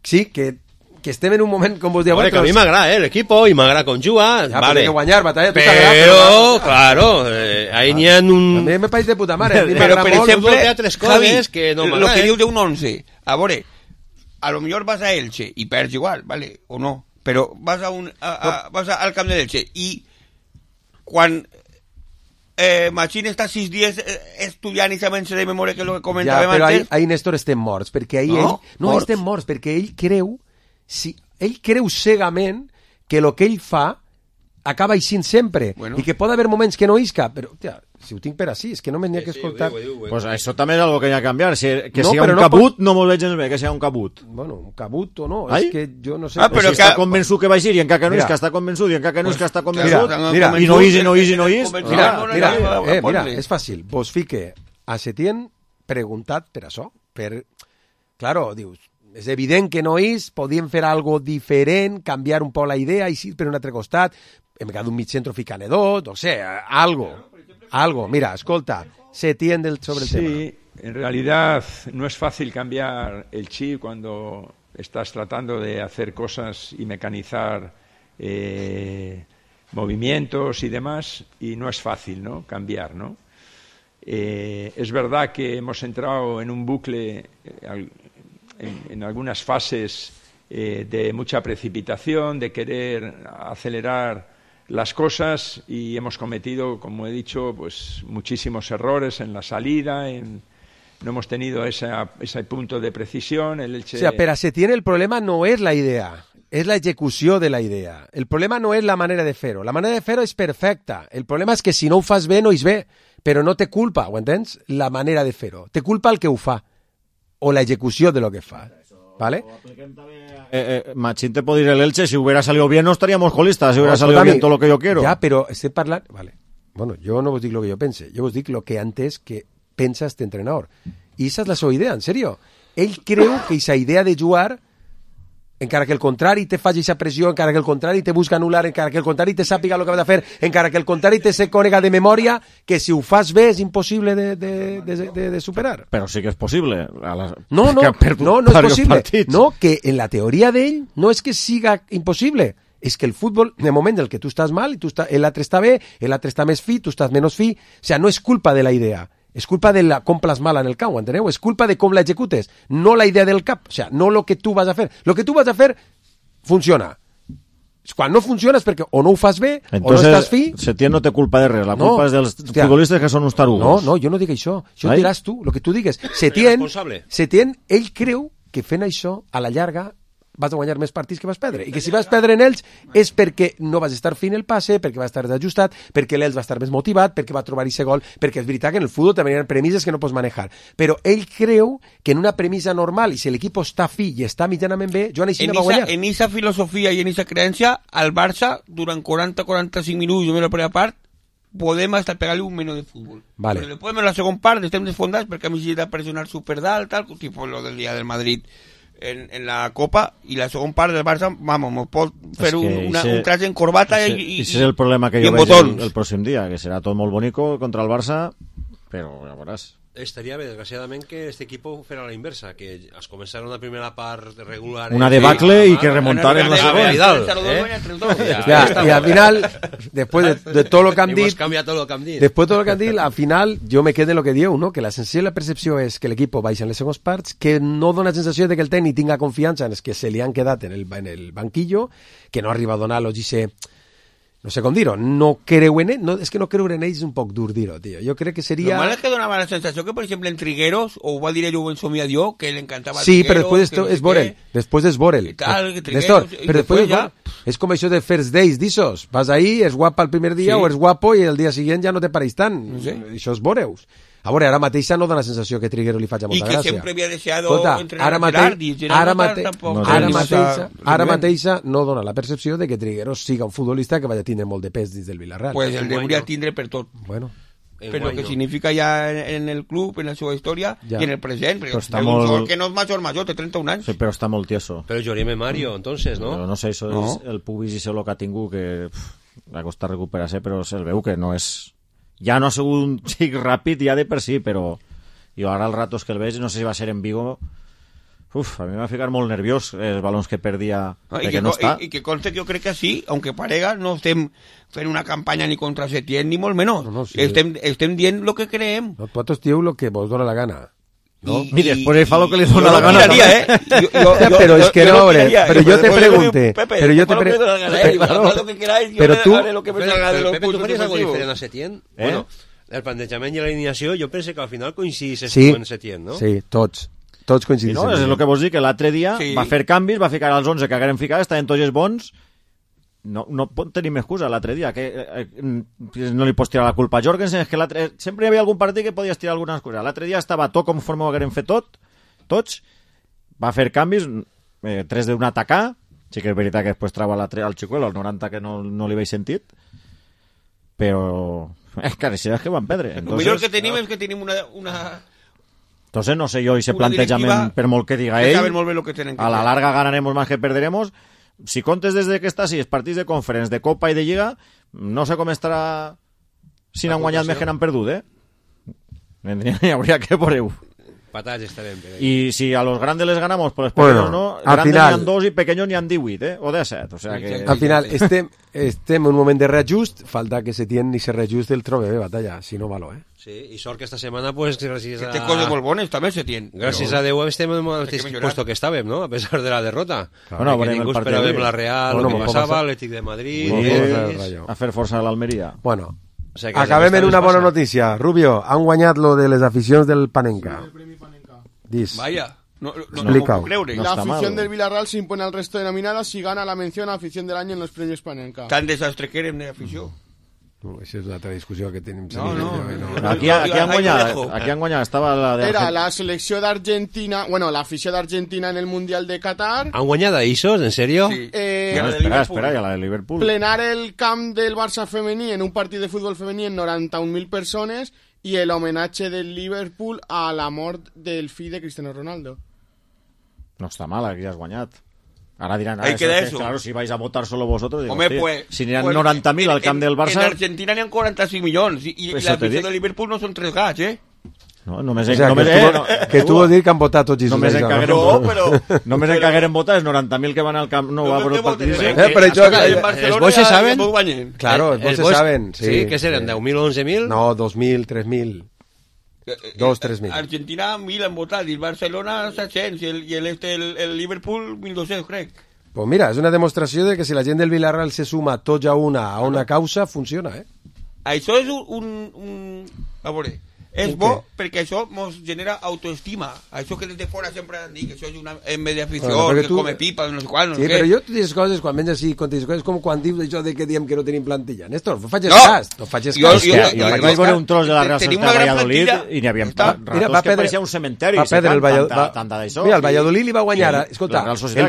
sí, que que estem en un moment, com vos dieu... Que a mi m'agrada, l'equipo, i m'agrada com juga. Ja, vale. Però guanyar, batalla, tu però, claro, ahí n'hi ha un... A mi me pareix de puta mare. Però, per exemple, Javi, que no lo que dius d'un 11, a veure, a lo millor vas a Elche i perds igual, vale, o no, però vas vas al camp de Elche i quan Machín està 6 dies estudiant i sabent-se de memòria, que és el que comentàvem antes... Ja, però ahí Néstor estem morts, perquè ahí no estem morts, perquè ell creu cegament que el que ell fa acaba eixint sempre, i que pot haver moments que no isca, però, tia, si ho tinc per així, és que només n'hi ha que escoltar... Pues això també és algo que hi ha que canviar, que siga un cabut, no m'ho veig gens bé, que siga un cabut. Bueno, un cabut o no, és que jo no sé... Però si està convençut que va eixir, i encara que no és que està convençut, i encara que no és que està convençut, i no és. Mira, és fàcil, vos fique a Setién preguntat per això, claro, dius, és evident que no és, podíem fer algo diferent, canviar un poc la idea, eixir per un altre costat, hem quedat un mig centro ficant dos, no sé, algo. Mira, escolta, Setién sobre el tema. Sí, en realidad no es fácil cambiar el chip cuando estás tratando de hacer cosas y mecanizar movimientos y demás, y no es fácil, ¿no? Cambiar, ¿no? Es verdad que hemos entrado en un bucle en algunas fases de mucha precipitación, de querer acelerar las cosas, y hemos cometido, como he dicho, pues muchísimos errores en la salida, no hemos tenido ese punto de precisión. El Elche... O sea, pero a Setién el problema no es la idea, és la execució de la idea. El problema no és la manera de fer-ho. La manera de fer-ho és perfecta. El problema és que si no ho fas bé, no és bé. Però no té culpa, ho entens? La manera de fer-ho. Té culpa el que ho fa. O la execució de lo que fa. ¿Vale? Machín te puede ir el Elche, si hubiera salido bien no estaríamos colistas, si hubiera salido bien todo lo que yo quiero. Ja, però estem parlant... Vale. Bueno, jo no vos dic lo que jo pense, jo vos dic lo que antes que pensa este entrenador. I esa és la seva idea, en serio. Ell creu que esa idea de jugar, encara que el contrari te faci esa pressió, encara que el contrari te busca anul·lar, encara que el contrari te sàpiga el que ha de fer, encara que el contrari te se conega de memòria, que si ho fas bé és impossible de superar. Però sí que és possible. No és possible. No, que en la teoria d'ell no és que siga impossible, és que el futbol, en el moment en què tu estàs mal, l'altre està bé, l'altre està més fi, tu estàs menys fi, o sea, no és culpa de la idea. És culpa de la com plasmar-la en el camp, enteneu? És culpa de com la executes, no la idea del cap, o sea, no lo que tu vas a fer. Lo que tu vas a fer funciona. Quan no funciona és perquè o no ho fas bé, entonces, o no estàs fi... Setién no té culpa de res, la culpa és dels futbolistes que són uns tarugos. No, jo no dic això. Això ho diràs tu, el que tu digues. Setién, ell creu que fent això, a la llarga, vas a guanyar més partits que vas perdre, i que si vas perdre en ells és perquè no vas estar fint el passe, perquè vas estar desajustat, perquè l'Elx va estar més motivat, perquè va trobar aquest gol, perquè és veritat que en el futbol també hi ha premisses que no pots manejar, però ell creu que en una premissa normal, i si l'equip està fi i està mitjanament bé, Joan Aixina va guanyar. En esa filosofia i en esa creencia, al Barça, durant 40-45 minuts de la primera part, podem estar pegant-li un menú de futbol. Vale. Però després en la segona part estem desfondats perquè a mi s'ha de pressionar superdalt, tal, tipo lo del dia del Madrid en la Copa, i la segona part del Barça, vamos, pot fer un traç en corbata i ese és el problema que jo veig el pròxim dia, que serà tot molt bonico contra el Barça, però ja veuràs. Estaria bé, desgraciadament, que este equipo fuera la inversa, que es començara una primera part regular... Una debacle y que remontar en la segunda. Y al final, después de todo lo que han dit, después de todo lo que han dit, al final, jo me quedé en lo que dieu, no? Que la sensació i la percepció és que l'equip baixa en les segones parts, que no dona sensació de que el tècnic tinga confiança en els que se li han quedat en el banquillo, que no arriba a donar-los i no sé com dir-ho, no creu en ell, és que no creure en ell és un poc dur dir-ho, tio. Jo crec que seria... Lo mal és que donava la sensació que, per exemple, en Trigueros, o ho va dir ell o en Somiat jo, que l'encantava sí, però després és Borel. Néstor, però després ja... És com això de first days, d'ixos. Vas ahí, és guapa el primer dia o és guapo i el dia següent ja no te pareix tant. Això és Boreus. A veure, ara mateixa no dona la sensació que Trigueros li faci molta gràcia. I que sempre havia deixat entrenar ara mateixa no dona la percepció de que Trigueros siga un futbolista que vaya a tindre molt de pes dins del Villarreal. Pues el hauria de tindre per tot. Bueno. Per lo que significa ja en el club, en la seva història i en el present. Perquè està molt... que no és major, té 31 anys. Sí, però està molt tieso. Però Llorime Mario, entonces, ¿no? Però no sé, això és el pubis i això lo que ha tingut, que ha costat recuperar-se, però se'l veu que no és... Ja no ha sigut un xic ràpid ja de per si, però jo ara els ratos que el veig, no sé si va ser en Vigo, A mi m'ha ficat molt nerviós els balons que perdia perquè no està. I que conste que jo crec que sí, aunque parega, no estem fent una campanya ni contra Setién ni molt menys. No, sí. Estem dient lo que creem. Vosaltres dieu lo que vos dona la gana. ¿no? Y después él fa lo que le dona la gana. Pero es que no, hombre, pero yo te pregunté, pero yo te pregunté, pero tú, Pepe, ¿tú faries algo diferent a Setién? Bueno, el plantejament i l'alineació, jo penso que al final coincidís en Setién, no? Sí, tots coincidís. No, és el que vos dic, que l'altre dia va fer canvis, va ficar els 11 que hagueren ficat, estaven tots els bons. No pot tenir més excusa l'altre dia, que no li pots tirar la culpa a Jorgensen, és que sempre hi havia algun partit que podies tirar alguna excusa. L'altre dia estava tot conforme ho hagueren fet tots, va fer canvis, 3 d'un atacar, sí que és veritat que després trava al Chicuelo, al 90 que no li veig sentit, però és que és que van perdre. El millor que tenim és que tenim una... Entonces no sé yo, ese plantejament, per molt que diga ell, a la larga ganaremos más que perderemos. Si comptes desde que està, si els partits de Conference, de Copa i de Lliga, no sé com estarà si n'han guanyat més que n'han perdut, Hi hauria que por-ho. Patats estarem. Y si a los grandes les ganamos, pues pequeños no, grandes n'hi han 2 i pequeños n'hi han 18, o 17. O sea que... Al final, estem en un moment de reajust, falta que Setién i se reajust el trobe de batalla, si no malo, Sí, i sort que esta setmana, pues, gràcies a... Que té coses molt bones, també Setién. Gràcies a Déu estem en el mateix puesto que estàvem, no? A pesar de la derrota. Bueno, que ningú esperàvem la Real, el que passava, l'Atlètic de Madrid... A fer força a l'Almeria. Bueno, acabem en una bona notícia. Rubio, han guanyat lo de les aficions del Panenka. Dis. Vaya. No la afición del Villarreal se impone al resto de nominadas y gana la mención a afición del año en los premios Panenka. Tan desastre que érem de afició. Esa és l'altra discussió que tenim. Aquí han guanyat, estava la de... Era la selecció d'Argentina, bueno, l'afició d'Argentina en el Mundial de Qatar. ¿Han guanyat a Isos? ¿En serio? Sí. Espera, ja la de Liverpool. Plenar el camp del Barça femení en un partit de futbol femení en 91.000 persones y el homenaje del Liverpool a la mort del fill de Cristiano Ronaldo. No està mal, aquí has guanyat. Ahora dirán, claro, si vais a votar solo vosotros, digo, Hombre, pues, si n'hi ha 90.000 al camp del Barça... En Argentina n'hi ha 45 milions i la afició de Liverpool no són 3 gats, No, només que tu vols dir que han votat tots només en cagueren votar els 90.000 que van al camp no va por el partit. Els bois se saben? Claro, els bois se saben. Sí, que seren 10.000 o 11.000? No, 2.000, 3.000. 3.000. Argentina 1.000 han votat i el Barcelona 700 i el Liverpool 1.200, crec. Pues mira, és una demostració de que si la gent del Villarreal se suma tots a una causa, funciona, Això és a veure, és bo perquè això ens genera autoestima. Això que des de fora sempre han dit que això és una mediafició, que come pipa, no sé quan, no sé què. Sí, però jo tu dius coses, quan vens així, és com quan dius això de que diem que no tenim plantilla. Néstor, no faig cas. No faig cas. Jo vaig veure un tros de la Real Societat de Valladolid i n'hi havia ratos que pareixia un cementeri. Va perdre el Valladolid. Mira, el Valladolid li va guanyar, escolta, el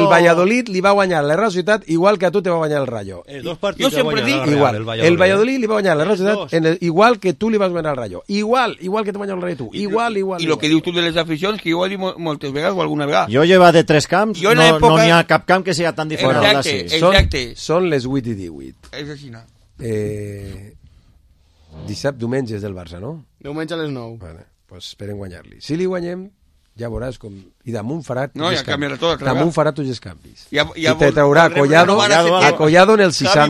Valladolid li va guanyar la Real Societat igual que a tu te va guanyar el Rayo. Jo sempre dic igual. El Valladolid li va guanyar la Real Societat igual que tu li vas guanyar al Rayo. Igual que te guanyar el Rayo tu. Igual. I el que dius tu de les aficions, que jo ho he dit moltes vegades o alguna vegada. Jo lleva de 3 camps, no n'hi ha cap camp que sigui tan diferent. Exacte. Són les 8 i 18. És així, no? Diumenges del Barça, no? Diumenge a les 9. Vale, pues esperen guanyar-li. Si li guanyem, ja veuràs com... I damunt farà tots els canvis. Damunt farà tots els canvis. I te traurà Collado en el 60.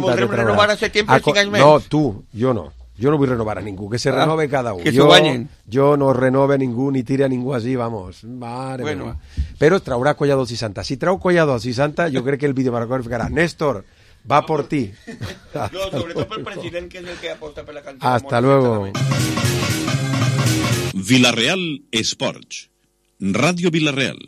No, tu, jo no. Jo no vull renovar a ningú, que se renove cada un. Que s'ho guanyen. Jo no renove a ningú ni tira a ningú així, vamos. Mare meva. Però traurà Collado al 60. Si trau Collado al 60, jo crec que el vídeo marcador ficarà Néstor, va por ti. No, sobretot pel president, que és el que aposta per la cantera. Hasta luego. Villarreal Esports. Ràdio Villarreal.